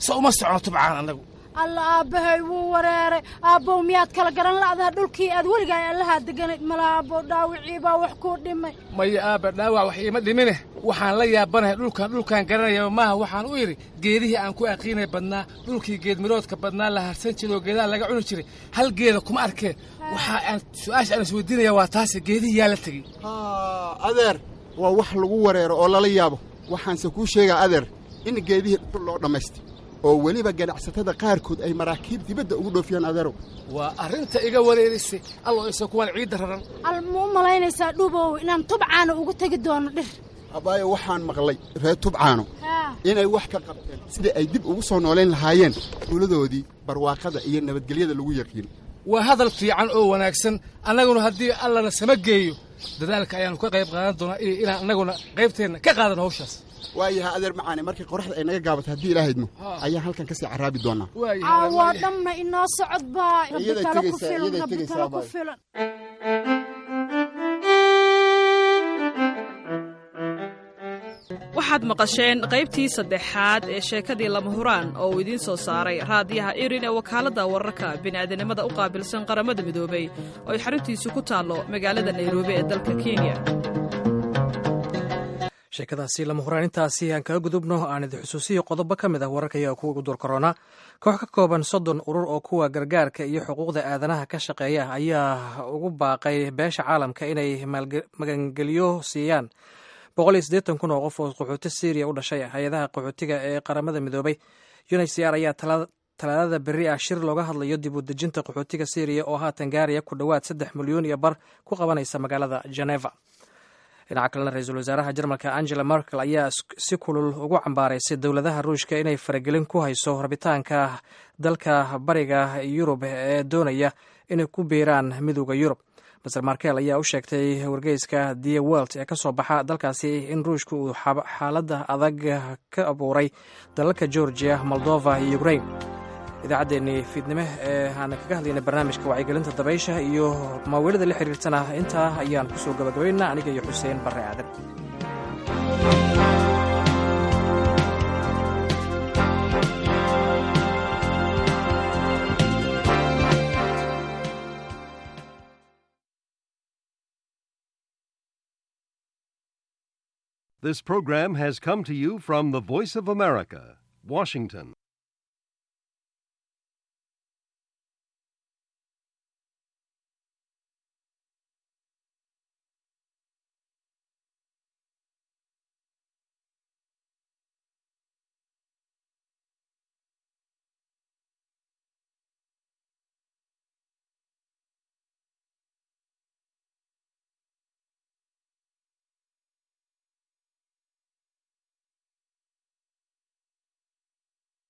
so uma socono Tubcaan annagu. Alla, aabbahay wuu wareeray. Aabbow, miyaad kala garan la'daha dhulkii aad weligaa allahaa deganayd? Mala aabbow, dhaawacii baa wax kuu dhimay. Maya aabba, dhaawac wax iima dhimine, waxaan la yaabanahay dhulkan dhulkaan garanayaba maaha. Waxaan u idhi geedihii aan ku aqiinay badnaa, dhulkii geedmiroodka badnaa la harsan jiray oo geedaha laga cuni jiray, hal geeda kuma arkeen. Waxa aan su'aasha aan isweydiinaya waa taase, geedihii yaa la tegey? Adeer, waa wax lagu wareero oo lala yaabo. Waxaanse kuu sheegaa adeer in geedihii dhul loo dhammaystay oo weliba ganacsatada qaarkood ay maraakiib dibadda ugu dhoofiyaan, adeerow. Waa arrinta iga wareerisay, allo isa kuwaan ciidda raran. Al ma u malaynaysaa Dhuubow inaan Tubcaano ugu tegi doono dhir? Abaayo, waxaan maqlay reer Tubcaano inay wax ka qabteen sidai ay dib ugu soo noolayn lahaayeen tuuladoodii barwaaqada iyo nabadgelyada lagu yaqiin. Waa hadal fiican oo wanaagsan. Annaguna haddii Allana sama geeyo dadaalka ayaannu ka qayb qaadan doonaa iyo inaan annaguna qaybteenna ka qaadano hawshaas. Waayaha adeer macaane, markii qoraxda ay naga gaabato haddii Ilaah idmo ayaan halkan kasii caraabi doonaa. Caawaa dhamna inoo socod baa rabbi talo ku filan, rabbi talo ku filan. Waxaad maqasheen qaybtii saddexaad ee sheekadii Lama Huraan oo uu idiin soo saaray raadiyaha Irin ee wakaaladda wararka bini'aadanimada u qaabilsan Qaramada Midoobay oo ay xaruntiisu ku taallo magaalada Nairobi ee dalka Kenya. Sheekadaasi Lama Huraan intaasi aan kaga gudubno. Aan idin xusuusiyo qodobo ka mid ah wararka iyaga kuwa ugu door korona. Koox ka kooban 30 urur oo kuwa gargaarka iyo xuquuqda aadanaha ka shaqeeya ayaa ugu baaqay beesha caalamka inay magangelyo siiyaan 180,000 oo qof oo qaxooti Syriya u dhashay. Hay-adaha qaxootiga ee Qaramada Midoobay UNHCR ayaa Talaadada berri ah shir looga hadlayo dib u dejinta qaxootiga Syriya oo haatan gaaraya ku dhowaad 3.5 milyan ku qabanaysa magaalada Geneva. Dhinaca kalena, ra-iisul wasaaraha Jarmalka Angela Merkel ayaa si kulul ugu cambaaraysay dowladaha Ruushka inay faragelin ku hayso rabitaanka dalka bariga Yurub ee doonaya inay ku biiraan Midooda Yurub. Mister Merkel ayaa u sheegtay wargeyska Die Welt ee kasoo baxa dalkaasi in Ruushka uu xaaladda adag ka abuuray dalalka Georgia, Moldova iyo Ukraine. Idaacaddeenii fiidnimo ee aan kaga hadlaynay barnaamijka wacyigelinta dabaysha iyo maaweelada la xiriirtana intaa ayaan kusoo gabagabaynaa, aniga iyo Xuseen Barre Aadan. This program has come to you from the Voice of America, Washington.